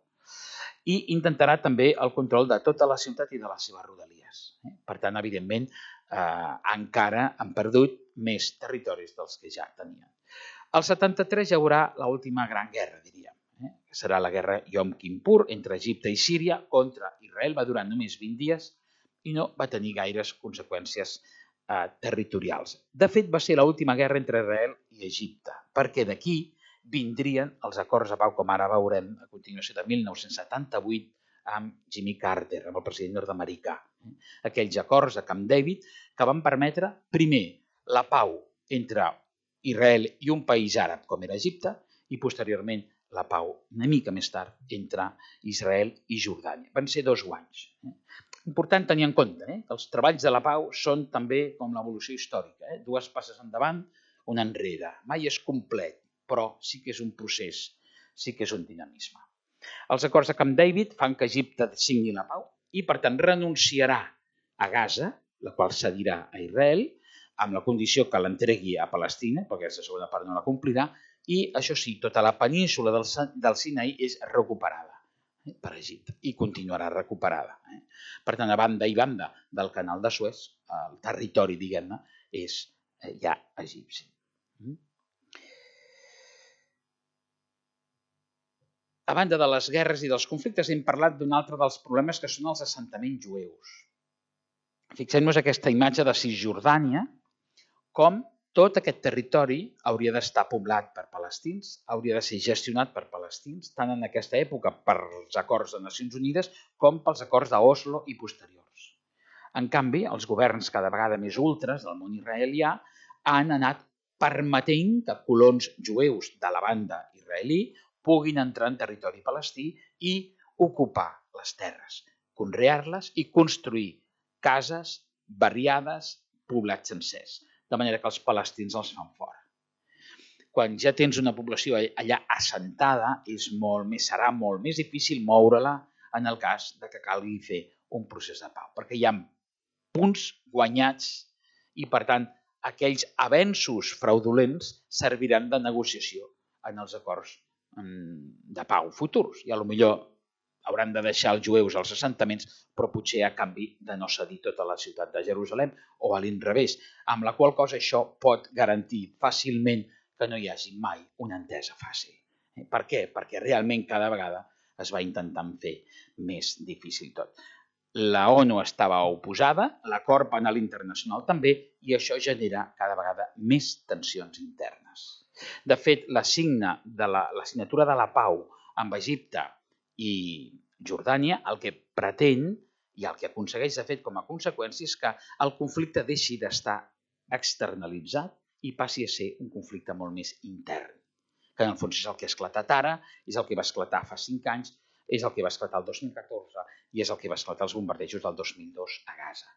I intentarà també el control de tota la ciutat i de les seves rodalies. Per tant, evidentment, encara han perdut més territoris dels que ja tenien. Al setanta-tres hi haurà l'última gran guerra, diríem, que serà la guerra Yom Kippur entre Egipte i Síria contra Israel. Va durar només vint dies i no va tenir gaires conseqüències territorials. De fet, va ser l'última guerra entre Israel i Egipte, perquè d'aquí vindrien els acords de pau, com ara veurem a continuació, de mil nou-cents setanta-vuit amb Jimmy Carter, amb el president nord-americà. Aquells acords de Camp David que van permetre, primer, la pau entre Israel i un país àrab com era Egipte i posteriorment la pau una mica més tard entre Israel i Jordània. Van ser dos guanys. Important tenir en compte que els treballs de la pau són també com l'evolució històrica. Dues passes endavant, una enrere. Mai és complet, però sí que és un procés, sí que és un dinamisme. Els acords de Camp David fan que Egipte signi la pau i, per tant, renunciarà a Gaza, la qual cedirà a Israel, amb la condició que l'entregui a Palestina, perquè aquesta segona part no la complirà, i, això sí, tota la península del Sinaí és recuperada per Egipte i continuarà recuperada. Per tant, a banda i banda del canal de Suez, el territori, diguem-ne, és ja egipci. A banda de les guerres i dels conflictes, hem parlat d'un altre dels problemes que són els assentaments jueus. Fixem-nos aquesta imatge de Cisjordània, com tot aquest territori hauria d'estar poblat per palestins, hauria de ser gestionat per palestins, tant en aquesta època pels acords de Nacions Unides com pels acords d'Oslo i posteriors. En canvi, els governs cada vegada més ultres del món israelià han anat permetent que colons jueus de la banda israelí puguin entrar en territori palestí i ocupar les terres, conrear-les i construir cases, barriades, poblats sencers, de manera que els palestins els fan fora. Quan ja tens una població allà assentada, és molt més, serà molt més difícil moure-la en el cas de que calgui fer un procés de pau, perquè hi ha punts guanyats i, per tant, aquells avenços fraudulents serviran de negociació en els acords de pau futurs. I potser hauran de deixar els jueus als assentaments, però potser a canvi de no cedir tota la ciutat de Jerusalem o a l'inrevés, amb la qual cosa això pot garantir fàcilment que no hi hagi mai una entesa fàcil. Per què? Perquè realment cada vegada es va intentant fer més difícil tot. La ONU estava oposada, l'acord penal internacional també, i això genera cada vegada més tensions internes. De fet, la signatura de la pau amb Egipte i Jordània el que pretén i el que aconsegueix, de fet, com a conseqüència és que el conflicte deixi d'estar externalitzat i passi a ser un conflicte molt més intern, que en el fons és el que ha esclatat ara, és el que va esclatar fa cinc anys, és el que va esclatar el dos mil catorze i és el que va esclatar els bombardejos del dos mil dos a Gaza.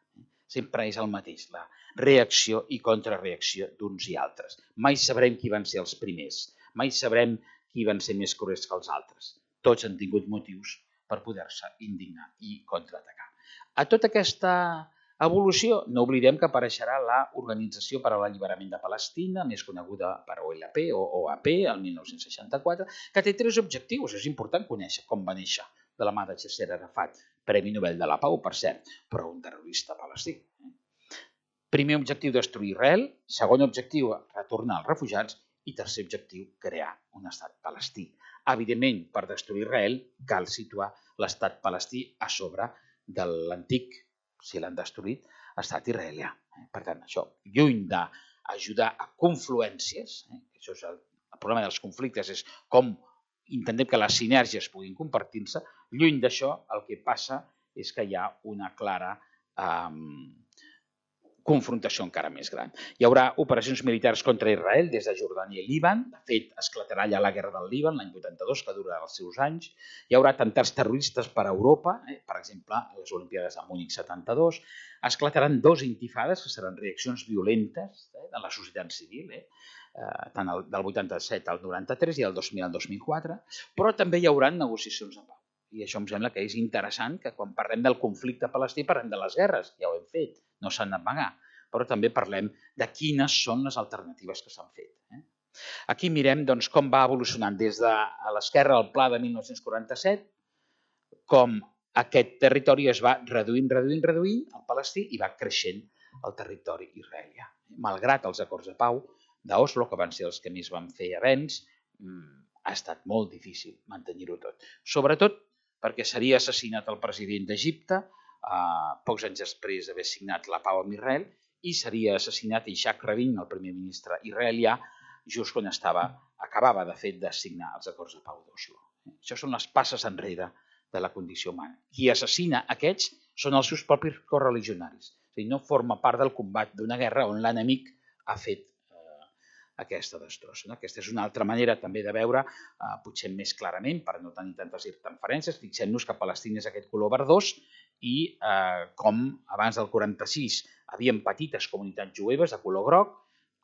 Sempre és el mateix, la reacció i contrarreacció d'uns i altres. Mai sabrem qui van ser els primers, mai sabrem qui van ser més cruels que els altres. Tots han tingut motius per poder-se indignar i contraatacar. A tota aquesta evolució no oblidem que apareixerà l'Organització per a l'Alliberament de Palestina, més coneguda per O L P o O A P, el mil nou-cents seixanta-quatre, que té tres objectius. És important conèixer com va néixer de la mà de Yasser Arafat, Premi Nobel de la Pau, per cert, però un terrorista palestí. Primer objectiu, destruir Israel. Segon objectiu, retornar els refugiats. I tercer objectiu, crear un estat palestí. Evidentment, per destruir Israel, cal situar l'estat palestí a sobre de l'antic, si l'han destruït, estat israelià. Per tant, això, lluny ajudar a confluències. Eh? Això és el, el problema dels conflictes, és com intentem que les sinergies puguin compartir-se. Lluny d'això, el que passa és que hi ha una clara eh, confrontació encara més gran. Hi haurà operacions militars contra Israel des de Jordània i Líban. De fet, esclatarà ja la guerra del Líban l'any vuitanta-dos, que durarà els seus anys. Hi haurà atemptats terroristes per a Europa, eh? per exemple, a les Olimpíades de Múnich setanta-dos. Esclataran dos intifades, que seran reaccions violentes eh? de la societat civil, eh? Eh, tant el, del vuitanta-set al noranta-tres i el dos mil al dos mil quatre, però també hi haurà negociacions de pau. I això em sembla que és interessant, que quan parlem del conflicte palestí parlem de les guerres, ja ho hem fet, no s'han d'amagar, però també parlem de quines són les alternatives que s'han fet. Eh? Aquí mirem doncs, com va evolucionant des de l'esquerra el pla de mil nou-cents quaranta-set, com aquest territori es va reduint, reduint, reduint, el palestí, i va creixent el territori israelià. Malgrat els acords de pau d'Oslo, que van ser els que més van fer avenç, ha estat molt difícil mantenir-ho tot. Sobretot perquè seria assassinat el president d'Egipte eh, pocs anys després d'haver signat la pau amb Israel, i seria assassinat Yitzhak Rabin, el primer ministre israelià, just quan estava, acabava de fet de signar els acords de pau d'Oslo. Això són les passes enrere de la condició humana. Qui assassina aquests són els seus propis correligionaris. És a dir, no forma part del combat d'una guerra on l'enemic ha fet aquesta destrossa. Aquesta és una altra manera també de veure, eh, potser més clarament, per no tenir tantes interferències. Fixem-nos que Palestina és aquest color verdós i eh, com abans del quaranta-sis havien petites comunitats jueves de color groc,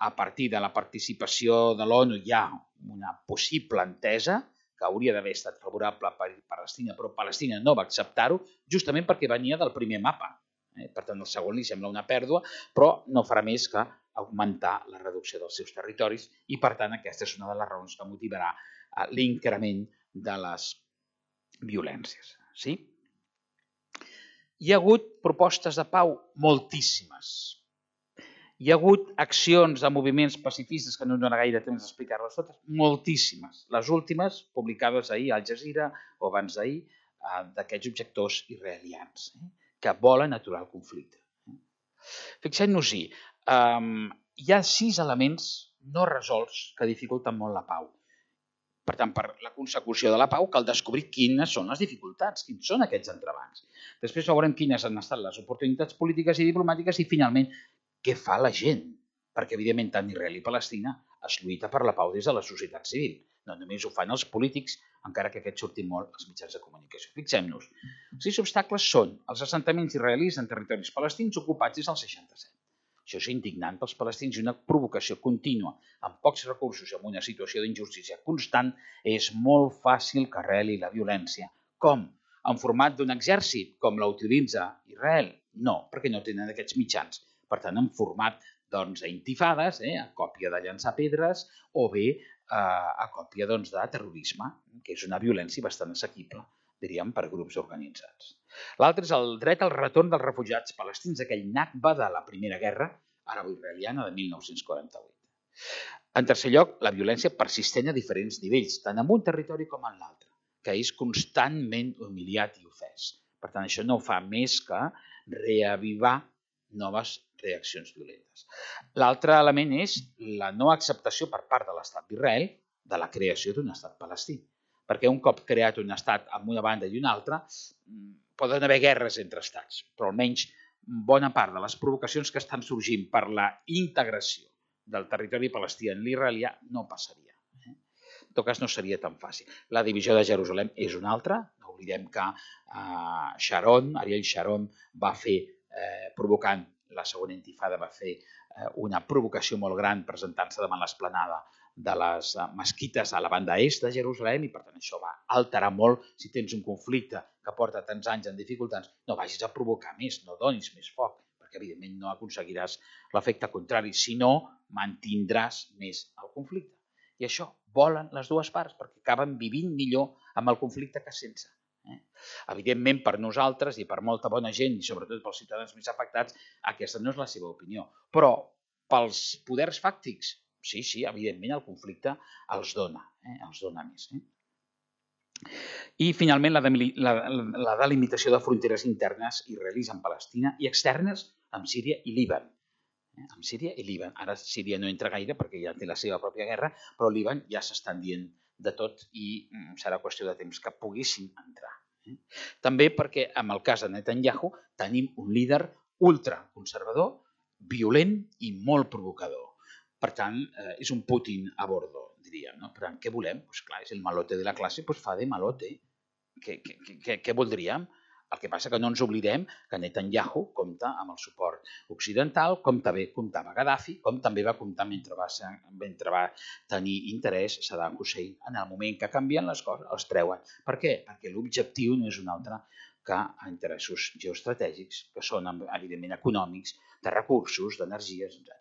a partir de la participació de l'ONU hi ha una possible entesa que hauria d'haver estat favorable per Palestina, però Palestina no va acceptar-ho, justament perquè venia del primer mapa. Eh? Per tant, el segon li sembla una pèrdua, però no farà més que augmentar la reducció dels seus territoris i, per tant, aquesta és una de les raons que motivarà l'increment de les violències. Sí? Hi ha hagut propostes de pau moltíssimes. Hi ha hagut accions de moviments pacifistes, que no em dóna gaire temps d'explicar-les totes, moltíssimes. Les últimes, publicades ahir a Al Jazeera o abans d'ahir, d'aquests objectors israelians, que volen aturar el conflicte. Fixem-nos-hi, Um, hi ha sis elements no resolts que dificulten molt la pau. Per tant, per la consecució de la pau cal descobrir quines són les dificultats, quins són aquests entrebancs. Després veurem quines han estat les oportunitats polítiques i diplomàtiques i, finalment, què fa la gent. Perquè, evidentment, tant Israel i Palestina es lluita per la pau des de la societat civil. No només ho fan els polítics, encara que aquests surtin molt als mitjans de comunicació. Fixem-nos. Els sis obstacles són els assentaments israelis en territoris palestins ocupats des del seixanta-set. Això és indignant pels palestins i una provocació contínua. Amb pocs recursos i amb una situació d'injustícia constant, és molt fàcil que arreli la violència. Com? En format d'un exèrcit, com la utilitza Israel? No, perquè no tenen aquests mitjans. Per tant, en format doncs, d'intifades, eh, a còpia de llançar pedres, o bé eh, a còpia doncs, de terrorisme, que és una violència bastant assequible, diríem, per grups organitzats. L'altre és el dret al retorn dels refugiats palestins, aquell Nakba de la Primera Guerra Arabo-Israeliana de mil nou-cents quaranta-vuit. En tercer lloc, la violència persistent a diferents nivells, tant en un territori com en l'altre, que és constantment humiliat i ofès. Per tant, això no fa més que reavivar noves reaccions violentes. L'altre element és la no acceptació per part de l'Estat d'Israel de la creació d'un estat palestí. Perquè un cop creat un estat amb una banda i una altra, poden haver guerres entre estats, però almenys bona part de les provocacions que estan sorgint per la integració del territori palestí en l'israelià no passaria. En tot cas, no seria tan fàcil. La divisió de Jerusalem és una altra. No oblidem que eh, Sharon, Ariel Sharon, va fer, eh, provocant la segona intifada, va fer eh, una provocació molt gran presentant-se davant l'esplanada de les mesquites a la banda est de Jerusalem i, per tant, això va alterar molt. Si tens un conflicte que porta tants anys en dificultats, no vagis a provocar més, no donis més foc, perquè, evidentment, no aconseguiràs l'efecte contrari, sinó mantindràs més el conflicte. I això volen les dues parts, perquè acaben vivint millor amb el conflicte que sense. Eh? Evidentment, per nosaltres i per molta bona gent, i sobretot pels ciutadans més afectats, aquesta no és la seva opinió. Però pels poders fàctics, sí, sí, evidentment el conflicte els dona, eh? els dona més. Eh? I, finalment, la, la, la delimitació de fronteres internes israelis amb Palestina i externes amb Síria i Líban. amb Síria i Líban. Ara Síria no entra gaire perquè ja té la seva pròpia guerra, però Líban ja s'estan dient de tot i serà qüestió de temps que poguessin entrar. També perquè, en el cas de Netanyahu, tenim un líder ultraconservador, violent i molt provocador. Per tant, és un Putin a bordo, diríem. No? Per tant, què volem? Pues clar, és el malote de la classe, doncs fa de malote. Què, què, què, què voldríem? El que passa que no ens oblidem que Netanyahu compta amb el suport occidental, com també comptava Gaddafi, com també va comptar mentre va, ser, mentre va tenir interès Saddam Hussein. En el moment que canvien les coses, els treuen. Per què? Perquè l'objectiu no és un altre que interessos geoestratègics, que són evidentment econòmics, de recursos, d'energies, etcètera.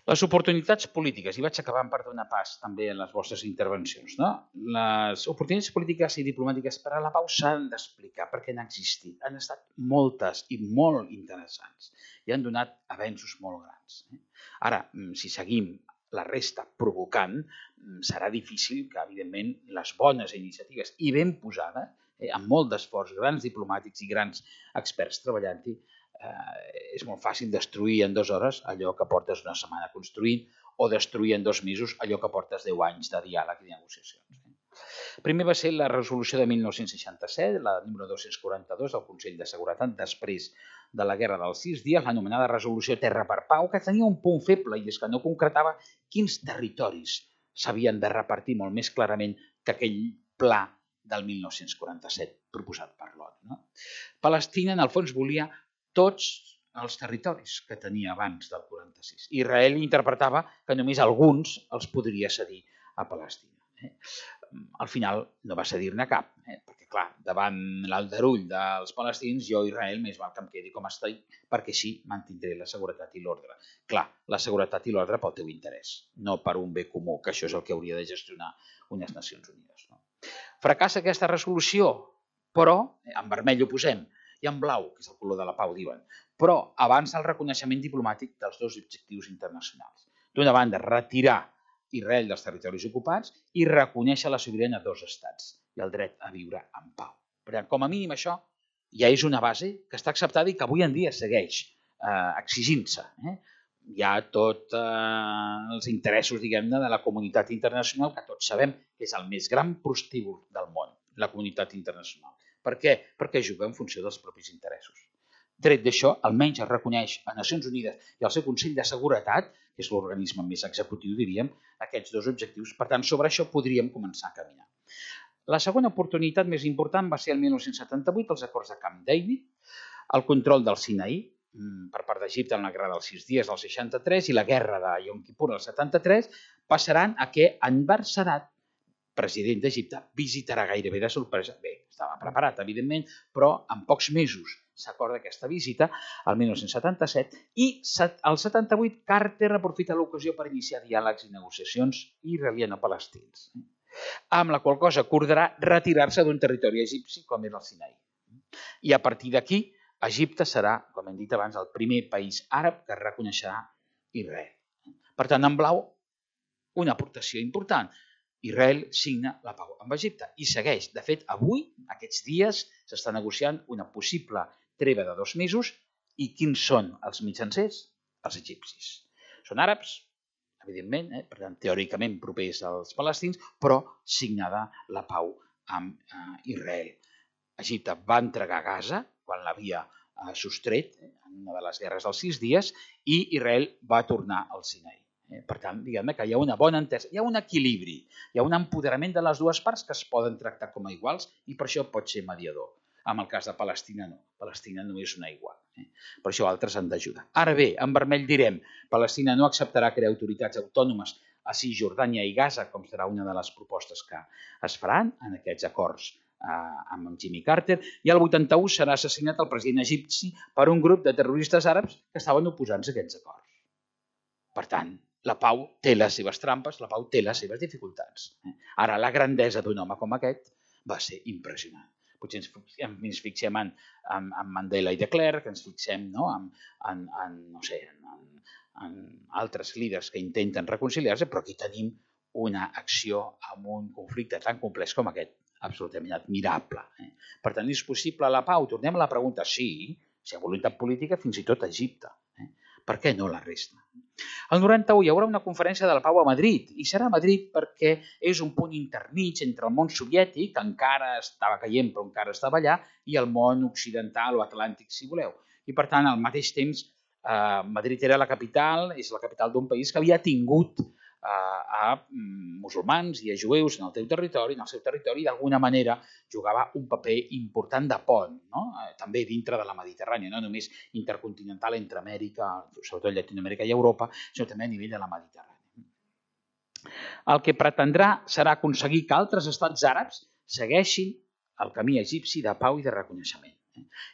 Les oportunitats polítiques, i vaig acabant per donar pas també en les vostres intervencions, no? Les oportunitats polítiques i diplomàtiques per a la pau s'han d'explicar perquè han existit. Han estat moltes i molt interessants i han donat avenços molt grans. Ara, si seguim la resta provocant, serà difícil que, evidentment, les bones iniciatives i ben posades, amb molt d'esforç, grans diplomàtics i grans experts treballant-hi, és molt fàcil destruir en dues hores allò que portes una setmana construint o destruir en dos mesos allò que portes deu anys de diàleg i negociacions. Primer va ser la resolució de mil nou-cents seixanta-set, la número dos-cents quaranta-dos del Consell de Seguretat, després de la Guerra dels Sis Dies, l'anomenada resolució Terra per Pau, que tenia un punt feble i és que no concretava quins territoris s'havien de repartir molt més clarament que aquell pla del mil nou-cents quaranta-set proposat per l'O N U. Palestina, en el fons, volia tots els territoris que tenia abans del quaranta-sis. Israel interpretava que només alguns els podria cedir a Palestina. Al final no va cedir-ne cap, perquè clar, davant l'aldarull dels palestins, jo Israel més val que em quedi com estic, perquè així mantindré la seguretat i l'ordre. Clar, la seguretat i l'ordre pel teu interès, no per un bé comú, que això és el que hauria de gestionar unes Nacions Unides. Fracassa aquesta resolució, però, en vermell ho posem, i en blau, que és el color de la pau, diuen, però avança el reconeixement diplomàtic dels dos objectius internacionals. D'una banda, retirar Israel dels territoris ocupats i reconèixer la sobirania de dos estats i el dret a viure en pau. Per tant, com a mínim això ja és una base que està acceptada i que avui en dia segueix eh, exigint-se. Eh? Hi ha tots eh, els interessos, diguem-ne, de la comunitat internacional, que tots sabem que és el més gran prostíbul del món, la comunitat internacional. Per què? Perquè juga en funció dels propis interessos. Tret d'això, almenys es reconeix a Nacions Unides i al seu Consell de Seguretat, que és l'organisme més executiu, diríem, aquests dos objectius. Per tant, sobre això podríem començar a caminar. La segona oportunitat més important va ser el mil nou-cents setanta-vuit, els acords de Camp David, el control del Sinaí per part d'Egipte en la Guerra dels Sis Dies del seixanta-tres i la Guerra de Yom Kippur del setanta-tres, passaran a que Anwar Sadat, president d'Egipte, visitarà gairebé de sorpresa. Bé, estava preparat, evidentment, però en pocs mesos s'acorda aquesta visita, al mil nou-cents setanta-set, i al setanta-vuit Carter aprofita l'ocasió per iniciar diàlegs i negociacions israeliano-palestins, amb la qual cosa acordarà retirar-se d'un territori egipci com era el Sinaí. I a partir d'aquí, Egipte serà, com hem dit abans, el primer país àrab que reconeixerà Israel. Per tant, en blau, una aportació important. Israel signa la pau amb Egipte i segueix. De fet, avui, aquests dies, s'està negociant una possible treva de dos mesos i quins són els mitjancers? Els egipcis. Són àrabs, evidentment, eh? Per tant, teòricament propers als palestins, però signada la pau amb eh, Israel. Egipte va entregar Gaza quan l'havia eh, sostret en una de les guerres dels sis dies i Israel va tornar al Sinaí. Per tant, diguem que hi ha una bona entesa, hi ha un equilibri, hi ha un empoderament de les dues parts que es poden tractar com a iguals i per això pot ser mediador. En el cas de Palestina no, Palestina no és una igual. Per això altres han d'ajudar. Ara bé, en vermell direm, Palestina no acceptarà crear autoritats autònomes a Cisjordània i Gaza, com serà una de les propostes que es faran en aquests acords amb Jimmy Carter, i el vuitanta-u serà assassinat el president egipci per un grup de terroristes àrabs que estaven oposant-se a aquests acords. Per tant, la pau té les seves trampes, la pau té les seves dificultats. Ara, la grandesa d'un home com aquest va ser impressionant. Potser ens fixem en, en, en Mandela i de Klerk, ens fixem no? en, en, en, no sé, en, en altres líders que intenten reconciliar-se, però aquí tenim una acció amb un conflicte tan complex com aquest, absolutament admirable. Eh? Per tant, és possible la pau? Tornem a la pregunta, sí, si hi ha voluntat política, fins i tot a Egipte. Eh? Per què no la resta? El noranta-u hi haurà una conferència de la pau a Madrid, i serà a Madrid perquè és un punt intermig entre el món soviètic, que encara estava caient però encara estava allà, i el món occidental o atlàntic, si voleu. I per tant, al mateix temps, eh, Madrid era la capital, és la capital d'un país que havia tingut eh, a musulmans i a jueus en el teu territori, en el seu territori, i d'alguna manera jugava un paper important de pont, no? eh, també dintre de la Mediterrània, no només intercontinental entre Amèrica, sobretot Llatinoamèrica i Europa, sinó també a nivell de la Mediterrània. El que pretendrà serà aconseguir que altres estats àrabs segueixin el camí egipci de pau i de reconeixement.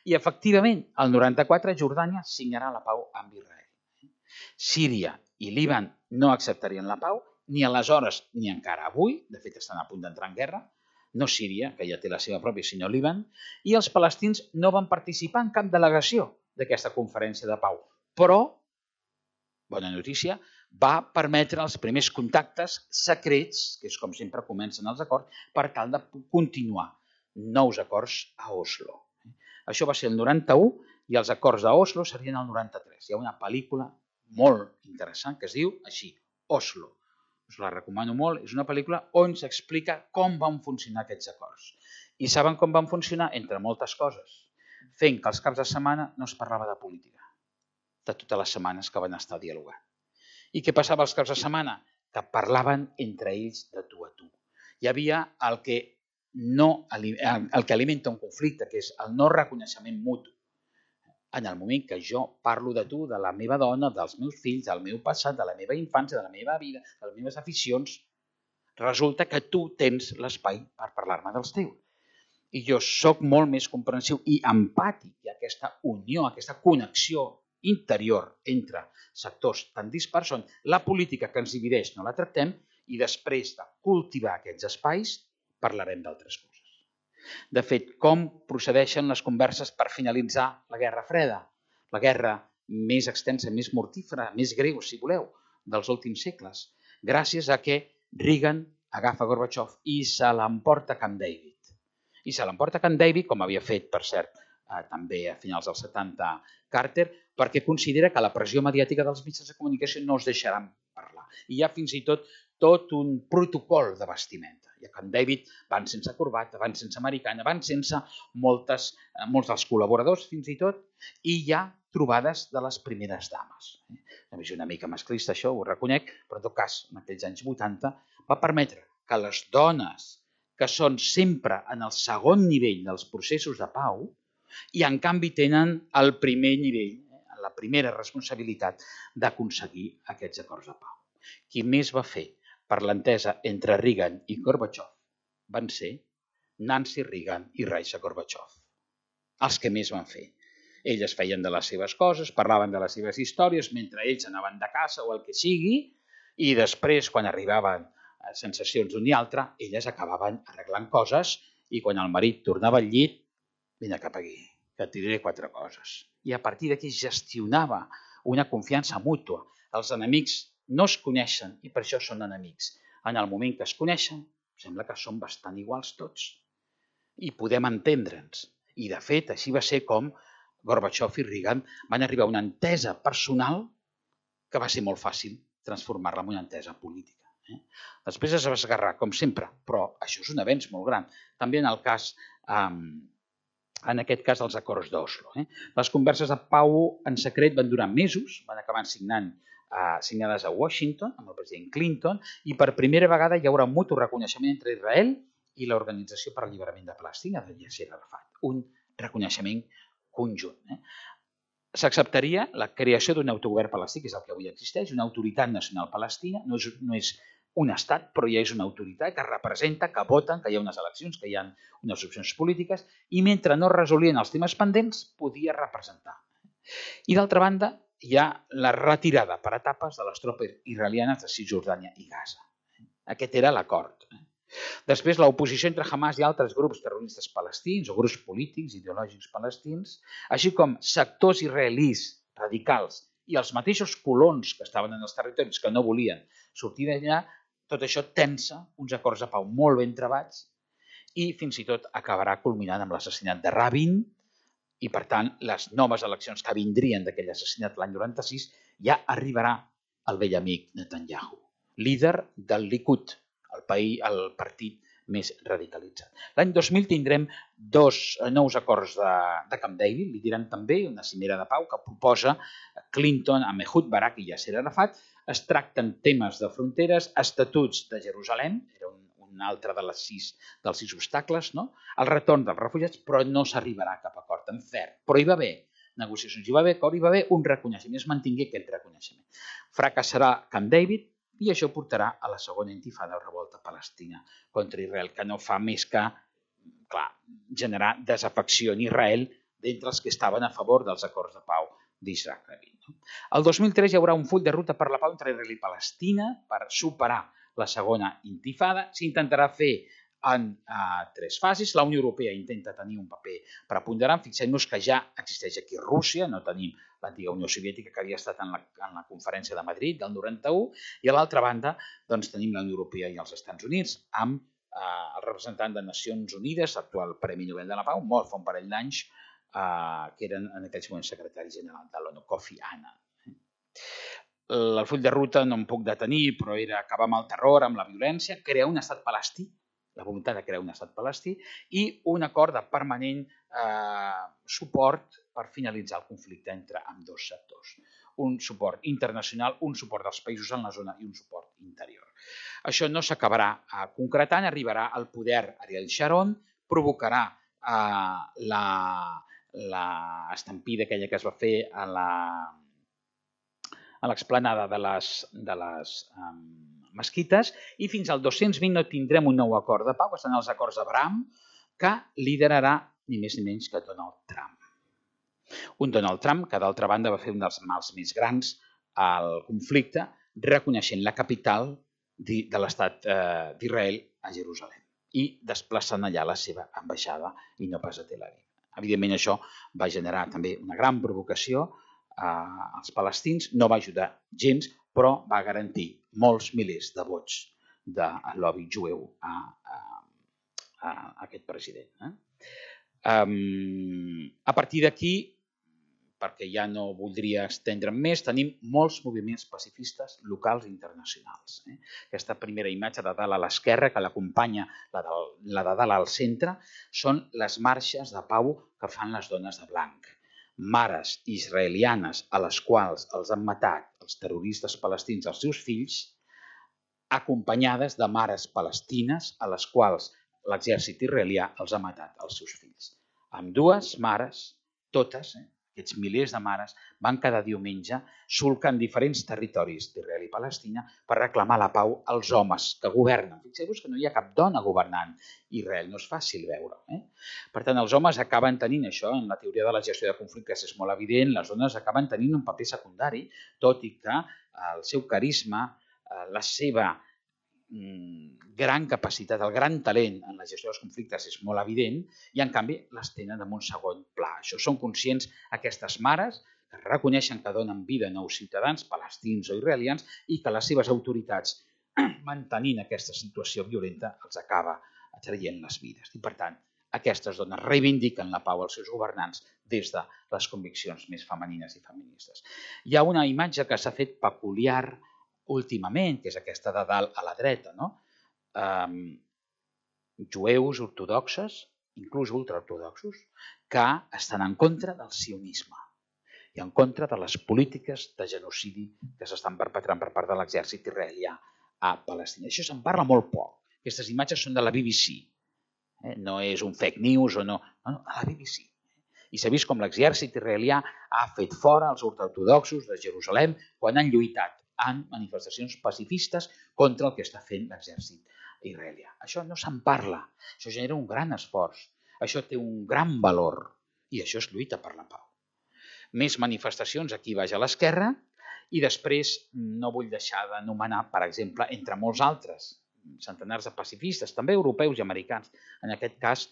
I, efectivament, el noranta-quatre Jordània signarà la pau amb Israel. Síria i Líban no acceptarien la pau, ni aleshores ni encara avui, de fet estan a punt d'entrar en guerra, no Síria, que ja té la seva pròpia, sinó Líban, i els palestins no van participar en cap delegació d'aquesta conferència de pau. Però, bona notícia, va permetre els primers contactes secrets, que és com sempre comencen els acords, per tal de continuar nous acords a Oslo. Això va ser el noranta-u i els acords d'Oslo serien el noranta-tres. Hi ha una pel·lícula molt interessant que es diu així, Oslo. Us la recomano molt. És una pel·lícula on s'explica com van funcionar aquests acords. I saben com van funcionar? Entre moltes coses. Fent que els caps de setmana no es parlava de política, de totes les setmanes que van estar dialogant. I què passava els caps de setmana? Que parlaven entre ells de tu a tu. Hi havia el que no, el que alimenta un conflicte, que és el no reconeixement mutu. En el moment que jo parlo de tu, de la meva dona, dels meus fills, del meu passat, de la meva infància, de la meva vida, de les meves aficions, resulta que tu tens l'espai per parlar-me dels teus. I jo sóc molt més comprensiu i empàtic, i aquesta unió, aquesta connexió interior entre sectors tan dispars on la política que ens divideix no la tractem i després de cultivar aquests espais parlarem d'altres coses. De fet, com procedeixen les converses per finalitzar la Guerra Freda? La guerra més extensa, més mortífera, més greu, si voleu, dels últims segles, gràcies a que Reagan agafa Gorbachev i se l'emporta a Camp David. I se l'emporta a Camp David, com havia fet, per cert, eh, també a finals dels setanta Carter, perquè considera que la pressió mediàtica dels mitjans de comunicació no els deixaran parlar. I hi ha fins i tot tot un protocol de vestimenta. I a Camp David van sense corbata, van sense americana, van sense moltes, molts dels col·laboradors fins i tot, i hi ha trobades de les primeres dames. És una mica masclista això, ho reconec, però en tot cas, en aquells anys vuitanta, va permetre que les dones que són sempre en el segon nivell dels processos de pau i en canvi tenen el primer nivell, la primera responsabilitat d'aconseguir aquests acords de pau. Qui més va fer per l'entesa entre Reagan i Gorbachev van ser Nancy Reagan i Raisa Gorbachev. Els que més van fer. Elles feien de les seves coses, parlaven de les seves històries, mentre ells anaven de caça o el que sigui, i després, quan arribaven a sensacions d'un i altre, elles acabaven arreglant coses i quan el marit tornava al llit, vine cap aquí, que et diré quatre coses. I a partir d'aquí gestionava una confiança mútua. Els enemics no es coneixen i per això són enemics. En el moment que es coneixen, sembla que són bastant iguals tots i podem entendre'ns. I de fet, així va ser com Gorbachev i Reagan van arribar a una entesa personal que va ser molt fàcil transformar-la en una entesa política. Després es va esgarrar, com sempre, però això és un avenç molt gran. També en el cas, en aquest cas, dels acords d'Oslo. Les converses de pau en secret van durar mesos, van acabar signant signades a Washington amb el president Clinton i per primera vegada hi haurà un mutu reconeixement entre Israel i l'Organització per l'Alliberament de Palestina de Yasser Arafat, un reconeixement conjunt. S'acceptaria la creació d'un autogovern palestí, que és el que avui existeix, una autoritat nacional palestina, no és, no és un estat, però ja és una autoritat que representa, que voten, que hi ha unes eleccions, que hi ha unes opcions polítiques, i mentre no resolien els temes pendents, podia representar. I d'altra banda, hi ha la retirada per etapes de les tropes israelianes de Cisjordània i Gaza. Aquest era l'acord. Després, l'oposició entre Hamas i altres grups terroristes palestins o grups polítics, ideològics palestins, així com sectors israelís radicals i els mateixos colons que estaven en els territoris que no volien sortir d'allà, tot això tensa uns acords de pau molt ben trebats i fins i tot acabarà culminant amb l'assassinat de Rabin I, per tant, les noves eleccions que vindrien d'aquell assassinat l'any noranta-sis ja arribarà el vell amic Netanyahu, líder del Likud, el, país, el partit més radicalitzat. L'any dos mil tindrem dos nous acords de, de Camp David, li diran també una cimera de pau que proposa Clinton amb Ehud Barak i Yasser Arafat. Es tracten temes de fronteres, estatuts de Jerusalem, era un, un altre de les sis, dels sis obstacles, no? El retorn dels refugiats, però no s'arribarà a cap acord en ferm. Però hi va haver negociacions, hi va haver acord, hi va haver un reconeixement, es mantingué aquest reconeixement. Fracassarà Camp David, i això portarà a la segona intifada o revolta palestina contra Israel, que no fa més que, clar, generar desafecció en Israel d'entre els que estaven a favor dels acords de pau d'Israel. El dos mil tres hi haurà un full de ruta per la pau entre Israel i Palestina per superar la segona intifada. S'intentarà fer en uh, tres fases. La Unió Europea intenta tenir un paper preponderant. Fixem-nos que ja existeix aquí Rússia, no tenim l'antiga Unió Soviètica que havia estat en la, en la conferència de Madrid del noranta-u, i a l'altra banda doncs, tenim la Unió Europea i els Estats Units amb eh, el representant de Nacions Unides, l'actual Premi Nobel de la Pau, mort fa un parell d'anys, eh, que eren en aquells moments secretari general de l'ONU, Kofi Annan. El full de ruta no em puc detenir, però era acabar amb el terror, amb la violència, crear un estat palestí, la voluntat de crear un estat palestí, i un acord de permanent eh, suport per finalitzar el conflicte entre ambdós sectors. Un suport internacional, un suport dels països en la zona i un suport interior. Això no s'acabarà eh, concretant, arribarà al poder Ariel Sharon, provocarà eh, la, la estampida aquella que es va fer a la a l'explanada de les, de les um, mesquites, i fins al dos-cents vint no tindrem un nou acord de pau, que són els acords d'Abraham, que liderarà ni més ni menys que Donald Trump. Un Donald Trump que, d'altra banda, va fer un dels mals més grans al conflicte, reconeixent la capital de l'estat d'Israel a Jerusalem i desplaçant allà la seva ambaixada i no pas a Tel Aviv. Evidentment, això va generar també una gran provocació als palestins, no va ajudar gens, però va garantir molts milers de vots del lobby jueu a, a, a aquest president. Eh? Um, a partir d'aquí, perquè ja no voldria estendre'm més, tenim molts moviments pacifistes locals i internacionals. Eh? Aquesta primera imatge de dalt a l'esquerra, que l'acompanya la, de, la de dalt al centre, són les marxes de pau que fan les dones de blanc. Mares israelianes a les quals els han matat els terroristes palestins els seus fills, acompanyades de mares palestines a les quals l'exèrcit israelià els ha matat els seus fills. Ambdues mares, totes, eh, aquests milers de mares, van cada diumenge solcant diferents territoris d'Israel i Palestina per reclamar la pau als homes que governen. Fixeu-vos que no hi ha cap dona governant Israel, no és fàcil veure. Eh? Per tant, els homes acaben tenint això, en la teoria de la gestió de conflictes és molt evident, les dones acaben tenint un paper secundari, tot i que el seu carisma, la seva gran capacitat, el gran talent en la gestió dels conflictes és molt evident i, en canvi, les tenen en un segon pla. Això són conscients aquestes mares que reconeixen que donen vida a nous ciutadans, palestins o israelians, i que les seves autoritats, mantenint aquesta situació violenta, els acaba traient les vides. I, per tant, aquestes dones reivindiquen la pau als seus governants des de les conviccions més femenines i feministes. Hi ha una imatge que s'ha fet peculiar últimament, que és aquesta de dalt a la dreta, no? Um, jueus ortodoxes, inclús ultraortodoxos, que estan en contra del sionisme i en contra de les polítiques de genocidi que s'estan perpetrant per part de l'exèrcit israelià a Palestina. Això se'n parla molt poc. Aquestes imatges són de la B B C. Eh? No és un fake news o no, no, no, a la B B C. I s'ha vist com l'exèrcit israelià ha fet fora els ultraortodoxos de Jerusalem quan han lluitat en manifestacions pacifistes contra el que està fent l'exèrcit israelià. Això no se'n parla, això genera un gran esforç, això té un gran valor i això és lluita per la pau. Més manifestacions aquí baix a l'esquerra i després no vull deixar d'anomenar, per exemple, entre molts altres, centenars de pacifistes, també europeus i americans, en aquest cas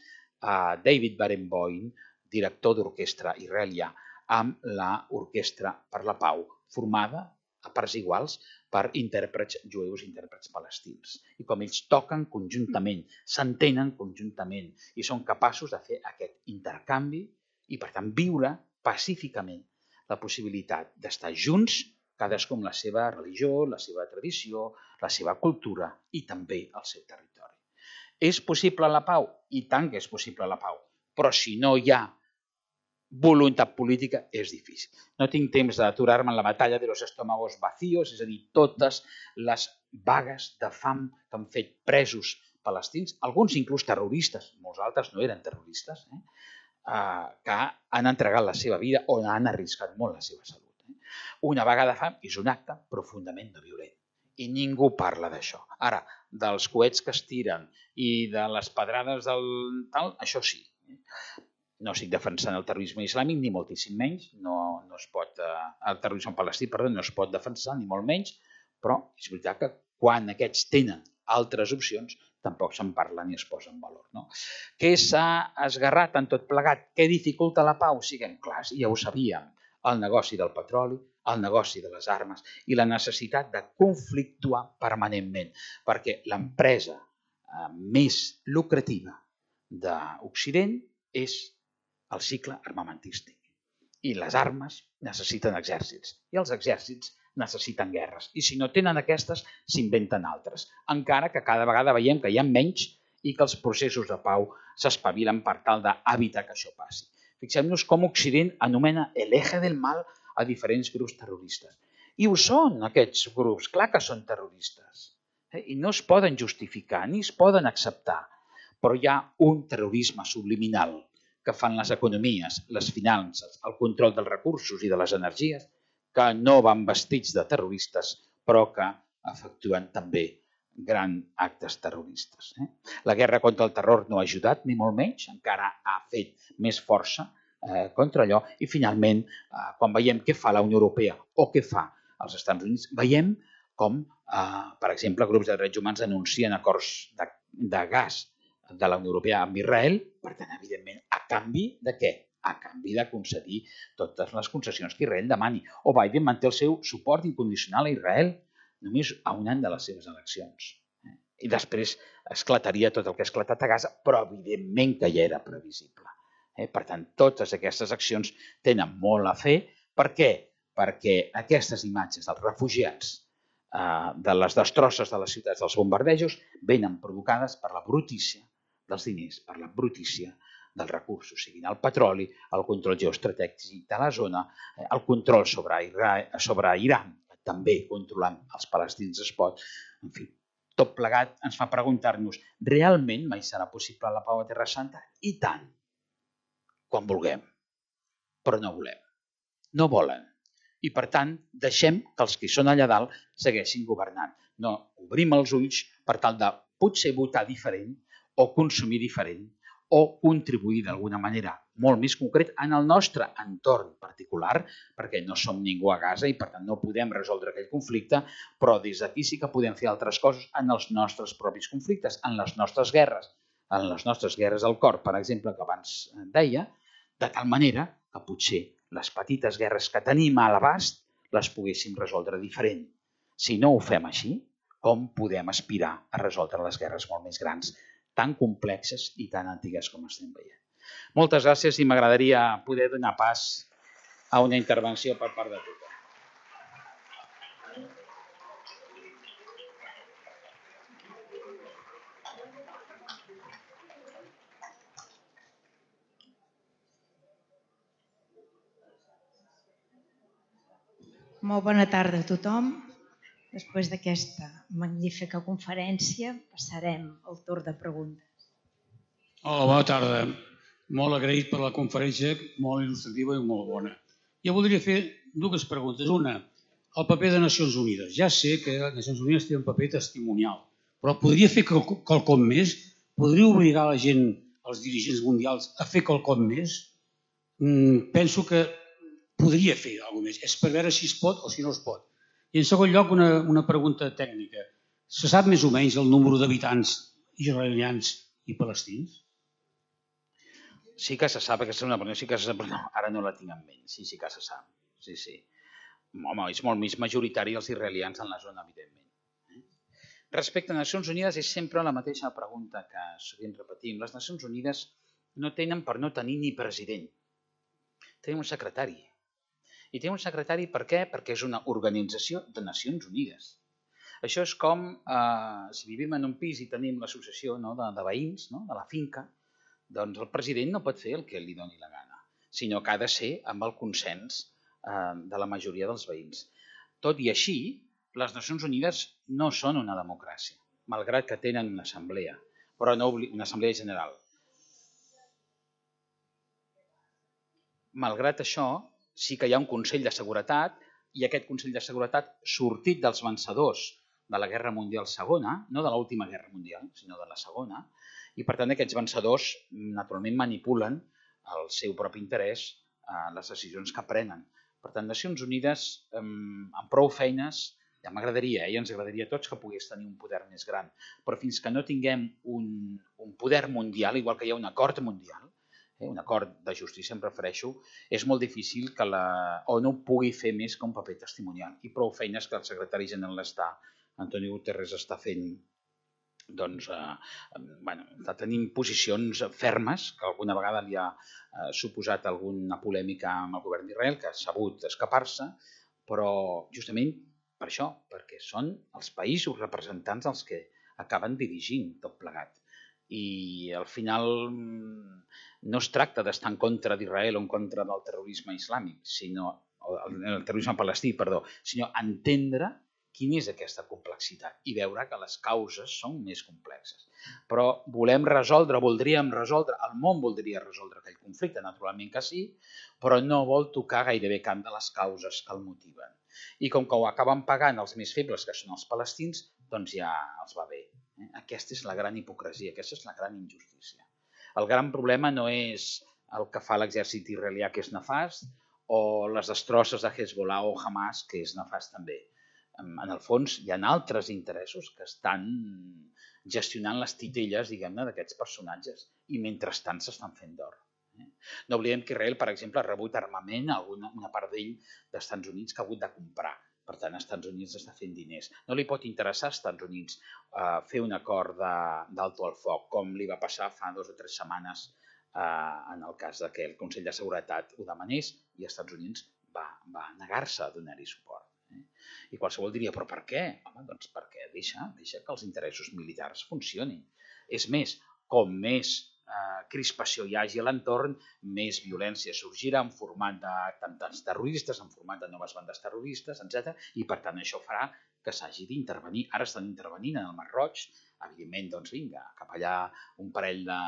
David Barenboim, director d'orquestra israelià, amb l'Orquestra per la Pau, formada a parts iguals per intèrprets jueus i intèrprets palestins. I com ells toquen conjuntament, s'entenen conjuntament i són capaços de fer aquest intercanvi i, per tant, viure pacíficament la possibilitat d'estar junts, cadascú amb la seva religió, la seva tradició, la seva cultura i també el seu territori. És possible la pau? I tant que és possible la pau, però si no hi ha voluntat política és difícil. No tinc temps d'aturar-me en la batalla de los estómagos vacíos, és a dir, totes les vagues de fam que han fet presos palestins, alguns inclús terroristes, molts altres no eren terroristes, eh? Uh, que han entregat la seva vida o han arriscat molt la seva salut. Eh? Una vaga de fam és un acte profundament no violent i ningú parla d'això. Ara, dels coets que es tiren i de les pedrades del tal, això sí. No estic defensant el terrorisme islàmic, ni moltíssim menys. No, no es pot, uh, el terrorisme palestí, perdó, no es pot defensar, ni molt menys, però és veritat que quan aquests tenen altres opcions, tampoc se'n parla ni es posa en valor. No? Què s'ha esgarrat en tot plegat? Què dificulta la pau? Siguem clars, ja ho sabíem. El negoci del petroli, el negoci de les armes i la necessitat de conflictuar permanentment, perquè l'empresa eh, més lucrativa d'Occident és el cicle armamentístic. I les armes necessiten exèrcits i els exèrcits necessiten guerres. I si no tenen aquestes, s'inventen altres. Encara que cada vegada veiem que hi ha menys i que els processos de pau s'espavilen per tal d'evitar que això passi. Fixem-nos com Occident anomena el eje del mal a diferents grups terroristes. I ho són, aquests grups, clar que són terroristes. I no es poden justificar ni es poden acceptar. Però hi ha un terrorisme subliminal que fan les economies, les finances, el control dels recursos i de les energies, que no van vestits de terroristes, però que efectuen també grans actes terroristes. Eh? La guerra contra el terror no ha ajudat, ni molt menys, encara ha fet més força eh, contra allò. I finalment, eh, quan veiem què fa la Unió Europea o què fa els Estats Units, veiem com, eh, per exemple, grups de drets humans denuncien acords de, de gas de la Unió Europea amb Israel, per tant, evidentment, a canvi de què? A canvi de concedir totes les concessions que Israel demani. O Biden manté el seu suport incondicional a Israel només a un any de les seves eleccions. I després esclataria tot el que ha esclatat a Gaza, però evidentment que ja era previsible. Per tant, totes aquestes accions tenen molt a fer. Per què? Perquè aquestes imatges dels refugiats, de les destrosses de les ciutats, dels bombardejos, venen provocades per la brutícia dels diners, per la brutícia dels recursos, siguin el petroli, el control geoestratègic de la zona, el control sobre, sobre Iran, que també controlant els palestins es pot. En fi, tot plegat ens fa preguntar-nos, realment mai serà possible la pau a Terra Santa? I tant, quan vulguem, però no volem, no volen. I per tant, deixem que els que són allà dalt segueixin governant. No obrim els ulls per tal de potser votar diferent o consumir diferent, o contribuir d'alguna manera molt més concret en el nostre entorn particular, perquè no som ningú a Gaza i per tant no podem resoldre aquell conflicte, però des d'aquí sí que podem fer altres coses en els nostres propis conflictes, en les nostres guerres, en les nostres guerres al cor, per exemple, que abans deia, de tal manera que potser les petites guerres que tenim a l'abast les poguéssim resoldre diferent. Si no ho fem així, com podem aspirar a resoldre les guerres molt més grans, tan complexes i tan antigues com estem veient. Moltes gràcies i m'agradaria poder donar pas a una intervenció per part de tothom. Molt bona tarda a tothom. Després d'aquesta magnífica conferència passarem al torn de preguntes. Hola, bona tarda. Molt agraït per la conferència, molt il·lustrativa i molt bona. Jo voldria fer dues preguntes. Una, el paper de Nacions Unides. Ja sé que Nacions Unides té un paper testimonial, però podria fer quelcom més? Podria obligar la gent, els dirigents mundials, a fer quelcom més? Penso que podria fer alguna cosa més. És per veure si es pot o si no es pot. I en segon lloc, una, una pregunta tècnica. Se sap més o menys el número d'habitants israelians i palestins? Sí que se sap, aquesta és una pregunta, sí que se sap, però no, ara no la tinc en ment. Sí, sí que se sap. Sí, sí. Home, és molt més majoritari els israelians en la zona, evidentment. Respecte a Nacions Unides, és sempre la mateixa pregunta que sovint repetim. Les Nacions Unides no tenen per no tenir ni president. tenim un secretari. I tenim un secretari per què? Perquè és una organització de Nacions Unides. Això és com eh, si vivim en un pis i tenim l'associació no, de, de veïns, no, de la finca, doncs el president no pot fer el que li doni la gana, sinó que ha de ser amb el consens eh, de la majoria dels veïns. Tot i així, les Nacions Unides no són una democràcia, malgrat que tenen una assemblea, però no una assemblea general. Malgrat això, sí que hi ha un Consell de Seguretat i aquest Consell de Seguretat sortit dels vencedors de la Guerra Mundial Segona, no de l'última Guerra Mundial, sinó de la Segona, i per tant aquests vencedors naturalment manipulen el seu propi interès a les decisions que prenen. Per tant, Nacions Unides, amb prou feines, ja m'agradaria, eh? I ens agradaria a tots que pogués tenir un poder més gran, però fins que no tinguem un, un poder mundial, igual que hi ha un acord mundial, eh? un acord de justícia em refereixo, és molt difícil que la ONU pugui fer més que un paper testimonial. I prou feines que el secretari general està, Antonio Guterres, està fent, doncs, eh, bueno, està tenint posicions fermes, que alguna vegada li ha eh, suposat alguna polèmica amb el govern d'Israel, que ha sabut escapar-se, però justament per això, perquè són els països representants els que acaben dirigint tot plegat. I al final no es tracta d'estar en contra d'Israel o en contra del terrorisme islàmic, sinó, el terrorisme palestí, perdó, sinó entendre quina és aquesta complexitat i veure que les causes són més complexes. Però volem resoldre, voldríem resoldre, el món voldria resoldre aquell conflicte, naturalment que sí, però no vol tocar gairebé cap de les causes que el motiven. I com que ho acaben pagant els més febles, que són els palestins, doncs ja els va bé. Aquesta és la gran hipocresia, aquesta és la gran injustícia. El gran problema no és el que fa l'exèrcit israelià, que és nefast, o les destrosses de Hezbollah o Hamas, que és nefast també. En el fons, hi ha altres interessos que estan gestionant les titelles, diguem-ne, d'aquests personatges i mentrestant s'estan fent d'or. No oblidem que Israel, per exemple, ha rebut armament, alguna, una part d'ell dels Estats Units que ha hagut de comprar. Per tant, als Estats Units està fent diners. No li pot interessar als Estats Units eh, fer un acord d'alto al foc, com li va passar fa dues o tres setmanes eh, en el cas que el Consell de Seguretat ho demanés i els Estats Units va, va negar-se a donar-hi suport. I qualsevol diria, però per què? Home, doncs perquè deixa, deixa que els interessos militars funcionin. És més, com més eh, crispació hi hagi a l'entorn, més violència sorgirà en format d'atemptats terroristes, en format de noves bandes terroristes, etcètera. I per tant això farà que s'hagi d'intervenir. Ara estan intervenint en el Mar Roig, evidentment, doncs vinga, cap allà un parell de,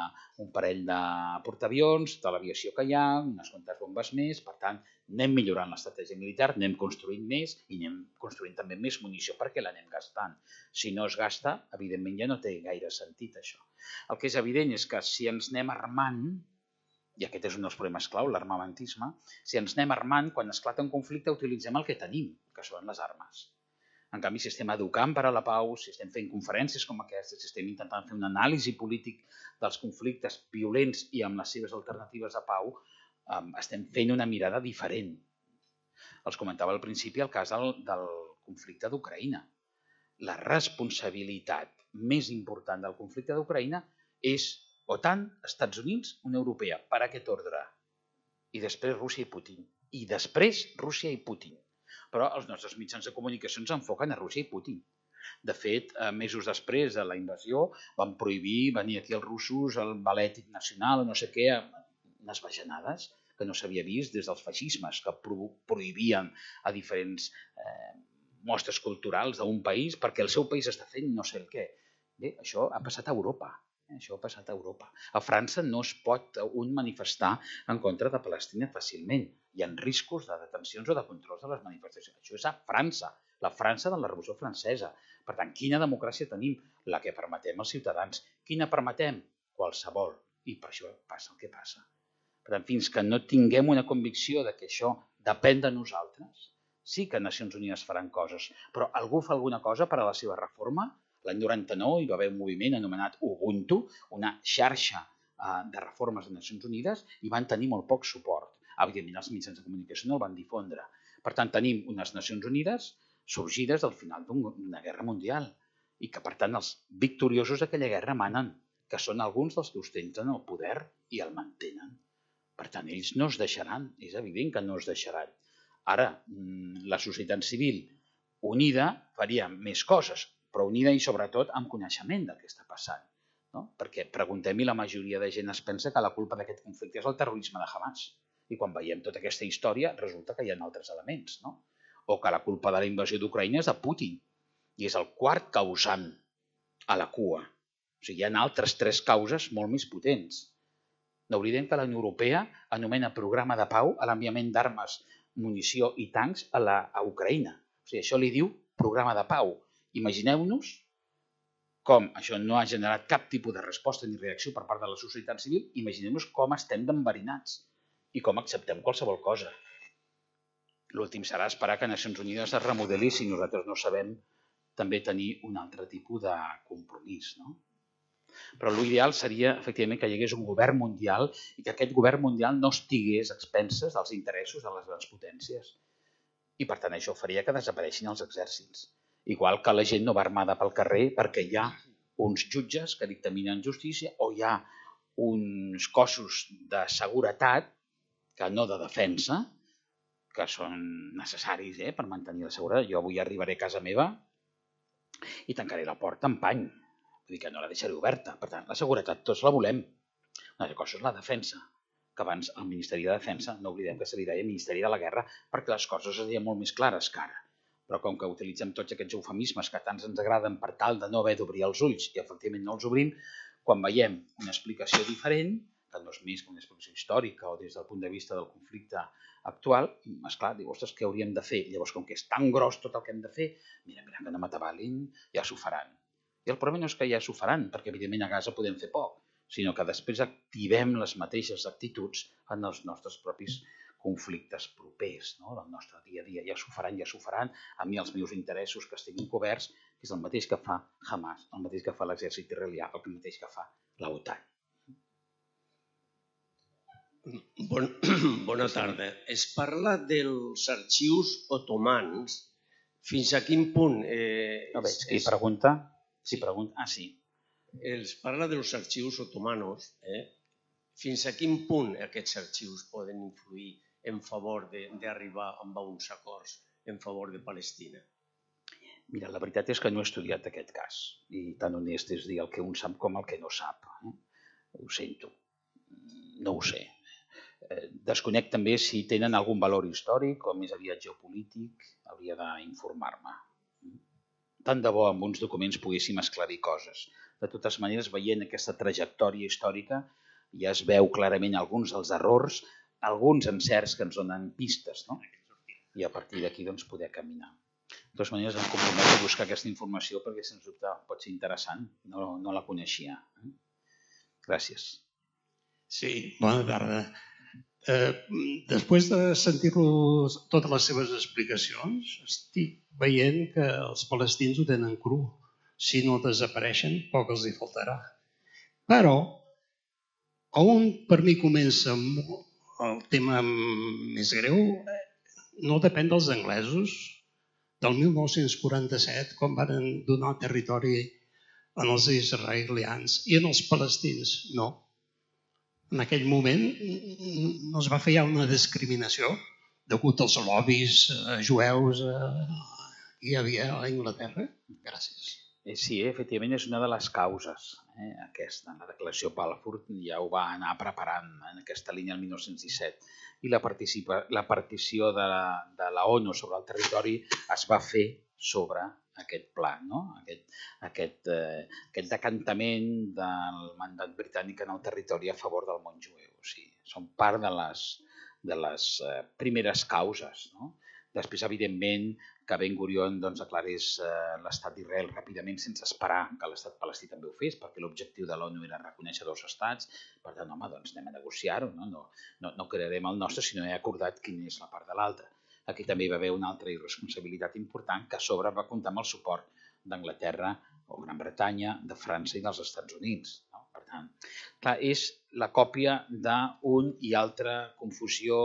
un parell de portaavions, tota l'aviació que hi ha, unes quantes bombes més, per tant, anem millorant l'estratègia militar, anem construint més i anem construint també més munició perquè l'anem gastant. Si no es gasta, evidentment ja no té gaire sentit això. El que és evident és que si ens anem armant, i aquest és un dels problemes clau, l'armamentisme, si ens anem armant, quan esclata un conflicte utilitzem el que tenim, que són les armes. En canvi, si estem educant per a la pau, si estem fent conferències com aquestes, si estem intentant fer una anàlisi polític dels conflictes violents i amb les seves alternatives de pau, estem fent una mirada diferent. Els comentava al principi el cas del, del conflicte d'Ucraïna. La responsabilitat més important del conflicte d'Ucraïna és OTAN, Estats Units, Unió Europea. Per aquest ordre. I després Rússia i Putin. I després Rússia i Putin. Però els nostres mitjans de comunicació ens enfoquen a Rússia i Putin. De fet, mesos després de la invasió van prohibir venir aquí els russos, el ballet nacional o no sé què, unes bajanades que no s'havia vist des dels feixismes, que prohibien a diferents eh, mostres culturals d'un país perquè el seu país està fent no sé el què. Bé, això ha passat a Europa. Això ha passat a Europa. A França no es pot un manifestar en contra de Palestina fàcilment. Hi ha riscos de detencions o de controls de les manifestacions. Això és a França, la França de la Revolució Francesa. Per tant, quina democràcia tenim? La que permetem als ciutadans. Quina permetem? Qualsevol. I per això passa el que passa. Per tant, fins que no tinguem una convicció de que això depèn de nosaltres, sí que Nacions Unides faran coses, però algú fa alguna cosa per a la seva reforma? L'any noranta-nou hi va haver un moviment anomenat Ubuntu, una xarxa de reformes de Nacions Unides, i van tenir molt poc suport. Evidentment, els mitjans de comunicació no el van difondre. Per tant, tenim unes Nacions Unides sorgides al final d'una guerra mundial i que, per tant, els victoriosos d'aquella guerra manen, que són alguns dels que ostenten el poder i el mantenen. Per tant, ells no es deixaran, és evident que no es deixaran. Ara, la societat civil unida faria més coses, però unida i sobretot amb coneixement del que està passant. No? Perquè preguntem i la majoria de gent es pensa que la culpa d'aquest conflicte és el terrorisme de Hamas. I quan veiem tota aquesta història resulta que hi ha altres elements. No? O que la culpa de la invasió d'Ucraïna és de Putin i és el quart causant a la cua. O sigui, hi ha altres tres causes molt més potents. No oblidem que la Unió Europea anomena programa de pau a l'enviament d'armes, munició i tancs a, la, a Ucraïna. O sigui, això li diu programa de pau. Imagineu-nos com això no ha generat cap tipus de resposta ni reacció per part de la societat civil, imagineu-nos com estem d'enverinats i com acceptem qualsevol cosa. L'últim serà esperar que Nacions Unides es remodeli si nosaltres no sabem també tenir un altre tipus de compromís. No? Però l'ideal seria, efectivament, que hi hagués un govern mundial i que aquest govern mundial no estigués a expenses dels interessos de les grans potències. I, per tant, això faria que desapareixin els exèrcits. Igual que la gent no va armada pel carrer perquè hi ha uns jutges que dictaminen justícia o hi ha uns cossos de seguretat, que no de defensa, que són necessaris eh, per mantenir la seguretat. Jo avui arribaré a casa meva i tancaré la porta amb pany. Vull dir que no la deixaré oberta. Per tant, la seguretat tots la volem. Una altra cosa és la defensa, que abans el Ministeri de Defensa, no oblidem que se li deia Ministeri de la Guerra, perquè les coses es deien molt més clares que ara. Però com que utilitzem tots aquests eufemismes que tants ens agraden per tal de no haver d'obrir els ulls i efectivament no els obrim, quan veiem una explicació diferent, que no és més que una explicació històrica o des del punt de vista del conflicte actual, esclar, diu, ostres, què hauríem de fer? Llavors, com que és tan gros tot el que hem de fer, mira, mira, que no m'atabalin, ja s'ho faran. I el problema no és que ja s'ho faran, perquè evidentment a Gaza podem fer poc, sinó que després activem les mateixes actituds en els nostres propis conflictes propers, no? Del nostre dia a dia. Ja s'ho faran, ja s'ho faran, a mi els meus interessos que estiguin coberts, que és el mateix que fa Hamas, el mateix que fa l'exèrcit israelià, el mateix que fa l'OTAN. Bon, bona tarda. Es parla dels arxius otomans. Fins a quin punt... Eh, no veig, qui és... pregunta? Si pregunta... Ah, sí. Es parla dels arxius otomanos. Eh? Fins a quin punt aquests arxius poden influir en favor d'arribar a uns acords en favor de Palestina? Mira, la veritat és que no he estudiat aquest cas. I tan honest és dir el que un sap com el que no sap. Eh? Ho sento. No ho sé. Desconec també si tenen algun valor històric o més aviat geopolític. Hauria d'informar-me. Tant de bo amb uns documents poguéssim esclarir coses. De totes maneres, veient aquesta trajectòria històrica, ja es veu clarament alguns dels errors, alguns encerts que ens donen pistes, no? I a partir d'aquí doncs, poder caminar. De totes maneres, em comprometo a buscar aquesta informació perquè, sens dubte, pot ser interessant. No, no la coneixia. Gràcies. Sí, bona tarda. Eh, després de sentir-lo totes les seves explicacions, estic veient que els palestins ho tenen cru. Si no desapareixen, poc els hi faltarà. Però, on per mi comença el tema més greu, no depèn dels anglesos. Del mil nou-cents quaranta-set, quan van donar territori als israelians i en els palestins, no. En aquell moment no es va fer ja una discriminació degut als lobbies jueus que hi havia a Anglaterra? Gràcies. Sí, efectivament és una de les causes. Eh, aquesta, la declaració Balfour ja ho va anar preparant en aquesta línia el mil nou-cents disset. I la, la partició de la, de la ONU sobre el territori es va fer sobre aquest pla, no? aquest, aquest, eh, aquest decantament del mandat britànic en el territori a favor del món jueu. O sigui, són part de les, de les eh, primeres causes. No? Després, evidentment, que Ben Gurion doncs, aclarés eh, l'estat d'Israel ràpidament sense esperar que l'estat palestí també ho fes, perquè l'objectiu de l'ONU era reconèixer dos estats. Per tant, home, doncs anem a negociar-ho. No? No, no, no crearem el nostre, sinó he acordat quina és la part de l'altra. Aquí també hi va haver una altra irresponsabilitat important que a sobre va comptar amb el suport d'Anglaterra o Gran Bretanya, de França i dels Estats Units. No? Per tant, clar, és la còpia d'un i altre confusió,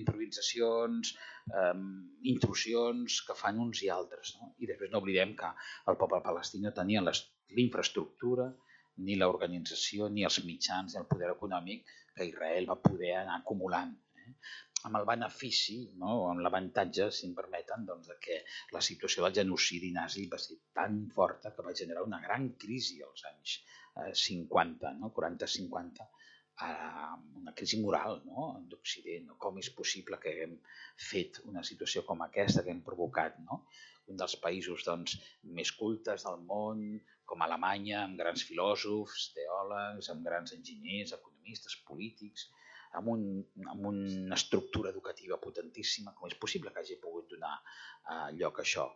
improvisacions, eh, intrusions que fan uns i altres. No? I després no oblidem que el poble palestí no tenia l'infraestructura, ni l'organització, ni els mitjans, ni el poder econòmic que Israel va poder anar acumulant. Eh? Amb el benefici, no? O amb l'avantatge, si em permeten, doncs, de que la situació del genocidi nazi va ser tan forta que va generar una gran crisi als anys eh, cinquanta, no? quaranta cinquanta, eh, una crisi moral, no? d'Occident. No? Com és possible que haguem fet una situació com aquesta, que hem provocat, no? un dels països doncs, més cultes del món, com Alemanya, amb grans filòsofs, teòlegs, amb grans enginyers, economistes, polítics, amb, un, amb una estructura educativa potentíssima. Com és possible que hagi pogut donar eh, lloc a això?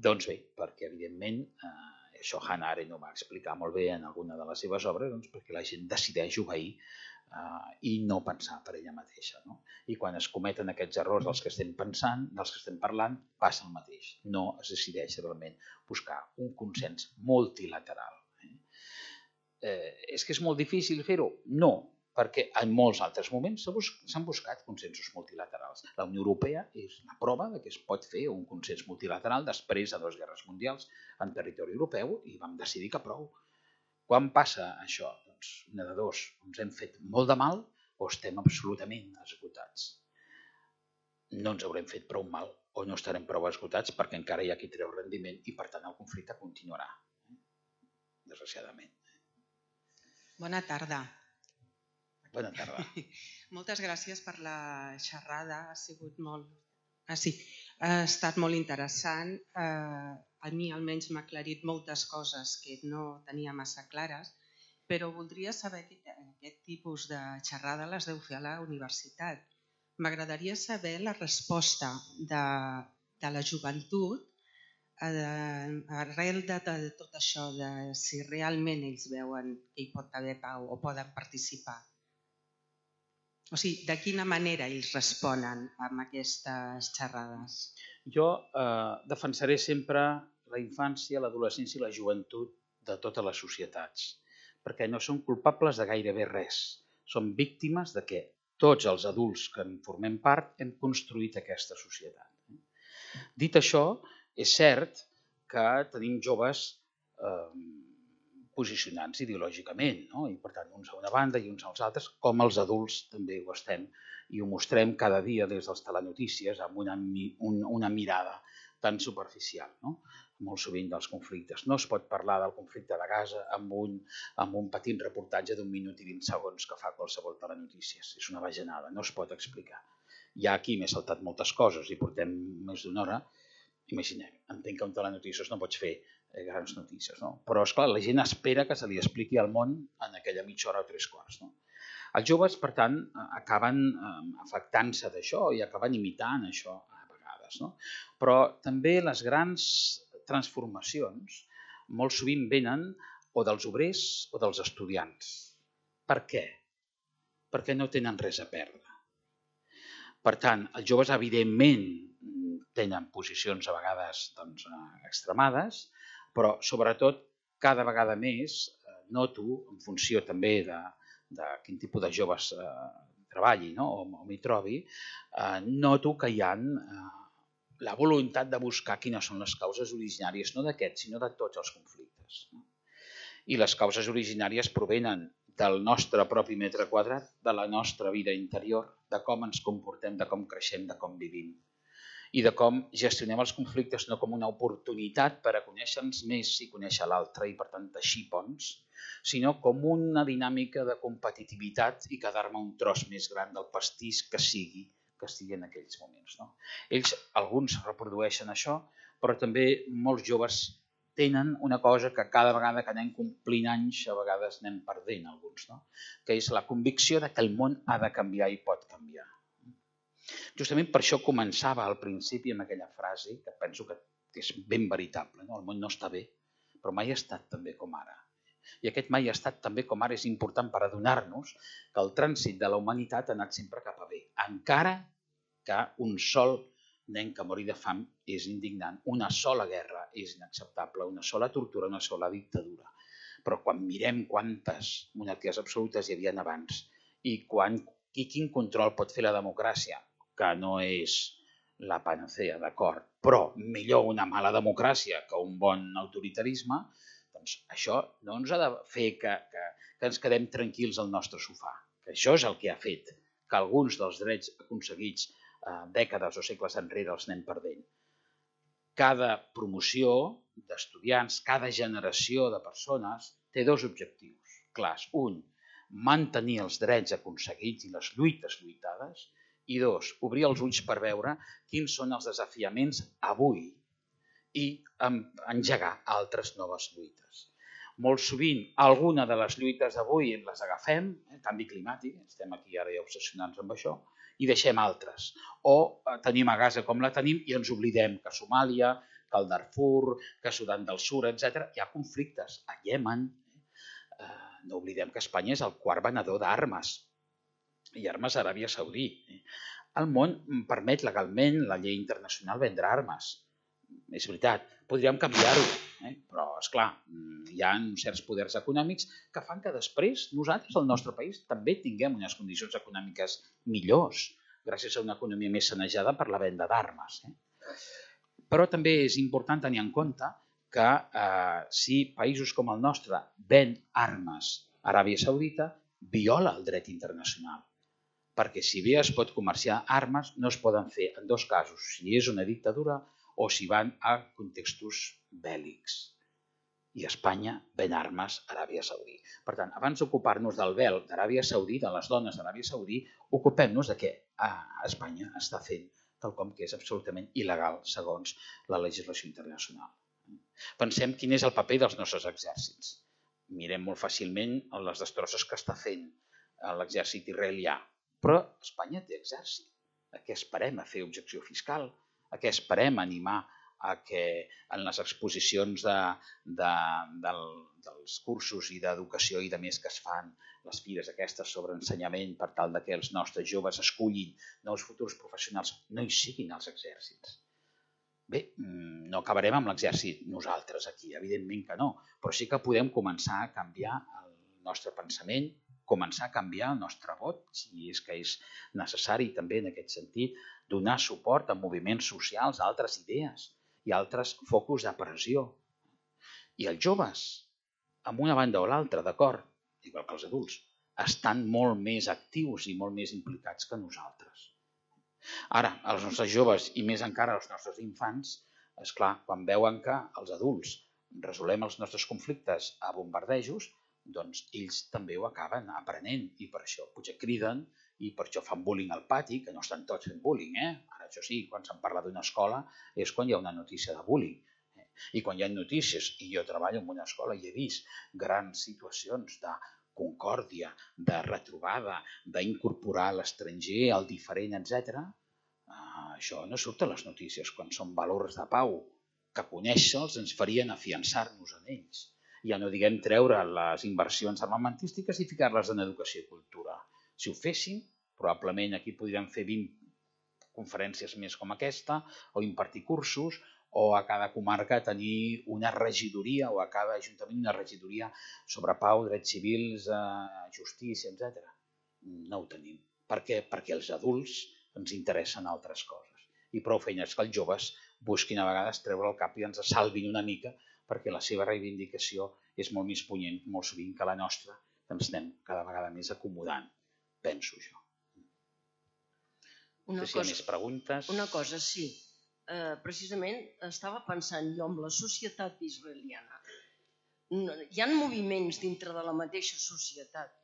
Doncs bé, perquè evidentment, eh, això Hannah Arendt ho va explicar molt bé en alguna de les seves obres, doncs perquè la gent decideix obeir Uh, i no pensar per ella mateixa. No? I quan es cometen aquests errors dels que estem pensant, dels que estem parlant, passa el mateix. No es decideix realment buscar un consens multilateral. Eh? Eh, és que és molt difícil fer-ho? No, perquè en molts altres moments s'han bus buscat consensos multilaterals. La Unió Europea és la prova de que es pot fer un consens multilateral després de dues guerres mundials en territori europeu i vam decidir que prou. Quan passa això? Doncs una de dos, ens hem fet molt de mal o estem absolutament esgotats. No ens haurem fet prou mal o no estarem prou esgotats perquè encara hi ha qui treu rendiment i per tant el conflicte continuarà, desgraciadament. Bona tarda. Bona tarda. Moltes gràcies per la xerrada, ha sigut molt... Ah, sí. Ha estat molt interessant. Eh, a mi almenys m'ha aclarit moltes coses que no tenia massa clares, però voldria saber que aquest tipus de xerrada les deu fer a la universitat. M'agradaria saber la resposta de, de la joventut eh, arrel de, de tot això, de si realment ells veuen que hi pot haver pau o poden participar. O sigui, de quina manera ells responen amb aquestes xerrades? Jo eh, defensaré sempre la infància, l'adolescència i la joventut de totes les societats, perquè no són culpables de gairebé res. Són víctimes de que tots els adults que en formem part hem construït aquesta societat. Dit això, és cert que tenim joves eh, posicionants ideològicament, no? I per tant uns a una banda i uns als altres, com els adults també ho estem i ho mostrem cada dia des dels telenotícies amb una, un, una mirada tan superficial, no? Molt sovint dels conflictes. No es pot parlar del conflicte de Gaza amb un, amb un petit reportatge d'un minut i vint segons que fa qualsevol telenotícies. És una bajanada, no es pot explicar. Ja aquí m'he saltat moltes coses i portem més d'una hora. Imaginem, entenc que un telenotícies no pots fer grans notícies, no? Però, esclar, la gent espera que se li expliqui al món en aquella mitja hora o tres quarts. No? Els joves, per tant, acaben afectant-se d'això i acaben imitant això a vegades. No? Però també les grans transformacions molt sovint venen o dels obrers o dels estudiants. Per què? Perquè no tenen res a perdre. Per tant, els joves, evidentment, tenen posicions a vegades doncs, extremades, però sobretot cada vegada més noto, en funció també de, de quin tipus de joves eh, treballi, no? o, o m'hi trobi, eh, noto que hi ha eh, la voluntat de buscar quines són les causes originàries, no d'aquests, sinó de tots els conflictes. No? I les causes originàries provenen del nostre propi metre quadrat, de la nostra vida interior, de com ens comportem, de com creixem, de com vivim. I de com gestionem els conflictes no com una oportunitat per a conèixer-nos més i conèixer l'altre i per tant teixir ponts, sinó com una dinàmica de competitivitat i quedar-me un tros més gran del pastís que sigui, que estigui en aquells moments. No? Ells, alguns reprodueixen això, però també molts joves tenen una cosa que cada vegada que anem complint anys, a vegades anem perdent alguns, no? Que és la convicció de que el món ha de canviar i pot canviar. Justament per això començava al principi amb aquella frase que penso que és ben veritable. No? El món no està bé, però mai ha estat tan bé com ara. I aquest mai ha estat tan bé com ara és important per adonar-nos que el trànsit de la humanitat ha anat sempre cap a bé. Encara que un sol nen que mori de fam és indignant, una sola guerra és inacceptable, una sola tortura, una sola dictadura. Però quan mirem quantes monarquies absolutes hi havia abans i quan, i quin control pot fer la democràcia, que no és la panacea, d'acord, però millor una mala democràcia que un bon autoritarisme, Doncs això no ens ha de fer que, que, que ens quedem tranquils al nostre sofà, que això és el que ha fet que alguns dels drets aconseguits eh, dècades o segles enrere els anem perdent. Cada promoció d'estudiants, cada generació de persones té dos objectius clars. Un, mantenir els drets aconseguits i les lluites lluitades, i dos, obrir els ulls per veure quins són els desafiaments avui i engegar altres noves lluites. Molt sovint, alguna de les lluites d'avui les agafem, el canvi climàtic, estem aquí ara ja obsessionats amb això, i deixem altres. O tenim a Gaza com la tenim i ens oblidem que a Somàlia, que al Darfur, que a Sudan del Sur, etcètera, hi ha conflictes. A Iemen, no oblidem que Espanya és el quart venedor d'armes, i armes a Aràbia Saudí. El món permet legalment la llei internacional vendre armes. És veritat, podríem canviar-ho, eh? Però, esclar, hi ha certs poders econòmics que fan que després nosaltres, al nostre país, també tinguem unes condicions econòmiques millors, gràcies a una economia més sanejada per la venda d'armes. Eh? Però també és important tenir en compte que eh, si països com el nostre ven armes a Aràbia Saudita, viola el dret internacional. Perquè si bé es pot comerciar armes, no es poden fer en dos casos, si és una dictadura o si van a contextos bèl·lics. I Espanya ven armes a Aràbia Saudí. Per tant, abans d'ocupar-nos del vel d'Aràbia Saudí, de les dones d'Aràbia Saudí, ocupem-nos de què Espanya està fent quelcom que és absolutament il·legal segons la legislació internacional. Pensem quin és el paper dels nostres exèrcits. Mirem molt fàcilment les destrosses que està fent l'exèrcit israelià. Però Espanya té exèrcit. A què esperem? A fer objecció fiscal? A què esperem? A animar a que en les exposicions de, de, del, dels cursos i d'educació i de més que es fan, les fires aquestes sobre ensenyament per tal que els nostres joves escullin nous futurs professionals, no hi siguin els exèrcits. Bé, no acabarem amb l'exèrcit nosaltres aquí, evidentment que no, però sí que podem començar a canviar el nostre pensament, començar a canviar el nostre vot, si és que és necessari també en aquest sentit, donar suport a moviments socials, a altres idees i altres focus de pressió. I els joves, amb una banda o l'altra, d'acord, igual que els adults, estan molt més actius i molt més implicats que nosaltres. Ara, els nostres joves i més encara els nostres infants, esclar, quan veuen que els adults resolem els nostres conflictes a bombardejos, doncs ells també ho acaben aprenent i per això potser criden i per això fan bullying al pati, que no estan tots fent bullying. Eh? Ara, això sí, quan se'n parla d'una escola és quan hi ha una notícia de bullying. Eh? I quan hi ha notícies, i jo treballo en una escola i he vist grans situacions de concòrdia, de retrobada, d'incorporar l'estranger, el diferent, etcètera, eh, això no surt a les notícies quan són valors de pau, que conèixer-los ens farien afiançar-nos en ells. Ja no diguem treure les inversions armamentístiques i ficar-les en educació i cultura. Si ho féssim, probablement aquí podríem fer vint conferències més com aquesta, o impartir cursos, o a cada comarca tenir una regidoria, o a cada ajuntament una regidoria sobre pau, drets civils, justícia, etcètera. No ho tenim. Per què? Perquè els adults ens interessen altres coses. I prou feina és que els joves busquin a vegades treure el cap i ens salvin una mica perquè la seva reivindicació és molt més punyent, molt sovint, que la nostra, que ens anem cada vegada més acomodant, penso jo. Una no sé si hi ha més preguntes. Una cosa, sí. Eh, precisament estava pensant jo en la societat israeliana. Hi ha moviments dintre de la mateixa societat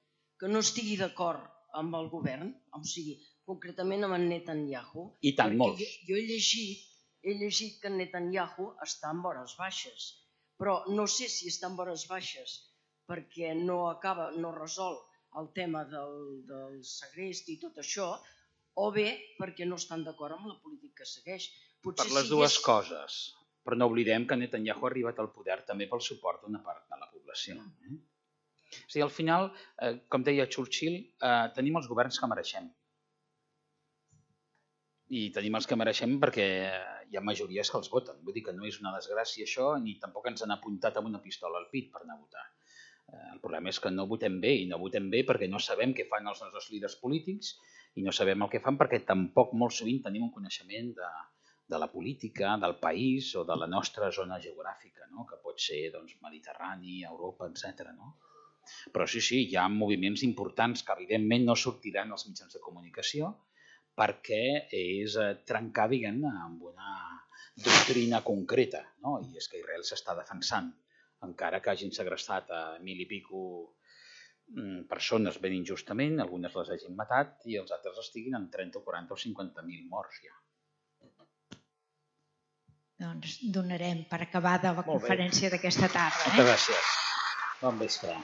que no estigui d'acord amb el govern, o sigui, concretament amb en Netanyahu. I tant, molts. Jo he llegit, he llegit que en Netanyahu està en vores baixes, però no sé si està en vores baixes perquè no acaba, no resol el tema del, del segrest i tot això, o bé perquè no estan d'acord amb la política que segueix. Potser per les dues és... coses, però no oblidem que Netanyahu ha arribat al poder també pel suport d'una part de la població. Eh? O sigui, al final, eh, com deia Churchill, eh, tenim els governs que mereixem. I tenim els que mereixem perquè hi ha majories que els voten. Vull dir que no és una desgràcia això, ni tampoc ens han apuntat amb una pistola al pit per anar a votar. El problema és que no votem bé, i no votem bé perquè no sabem què fan els nostres líders polítics i no sabem el que fan perquè tampoc molt sovint tenim un coneixement de, de la política, del país o de la nostra zona geogràfica, no? Que pot ser doncs, Mediterrani, Europa, etcètera. No? Però sí, sí, hi ha moviments importants que evidentment no sortiran als mitjans de comunicació perquè és trencar, diguem-ne, amb una doctrina concreta, no? I és que Israel s'està defensant, encara que hagin segrestat a mil i pico persones ben injustament, algunes les hagin matat i els altres estiguin en trenta, quaranta o cinquanta mil morts ja. Doncs donarem per acabada la conferència d'aquesta tarda. Moltes gràcies. Bon vespre.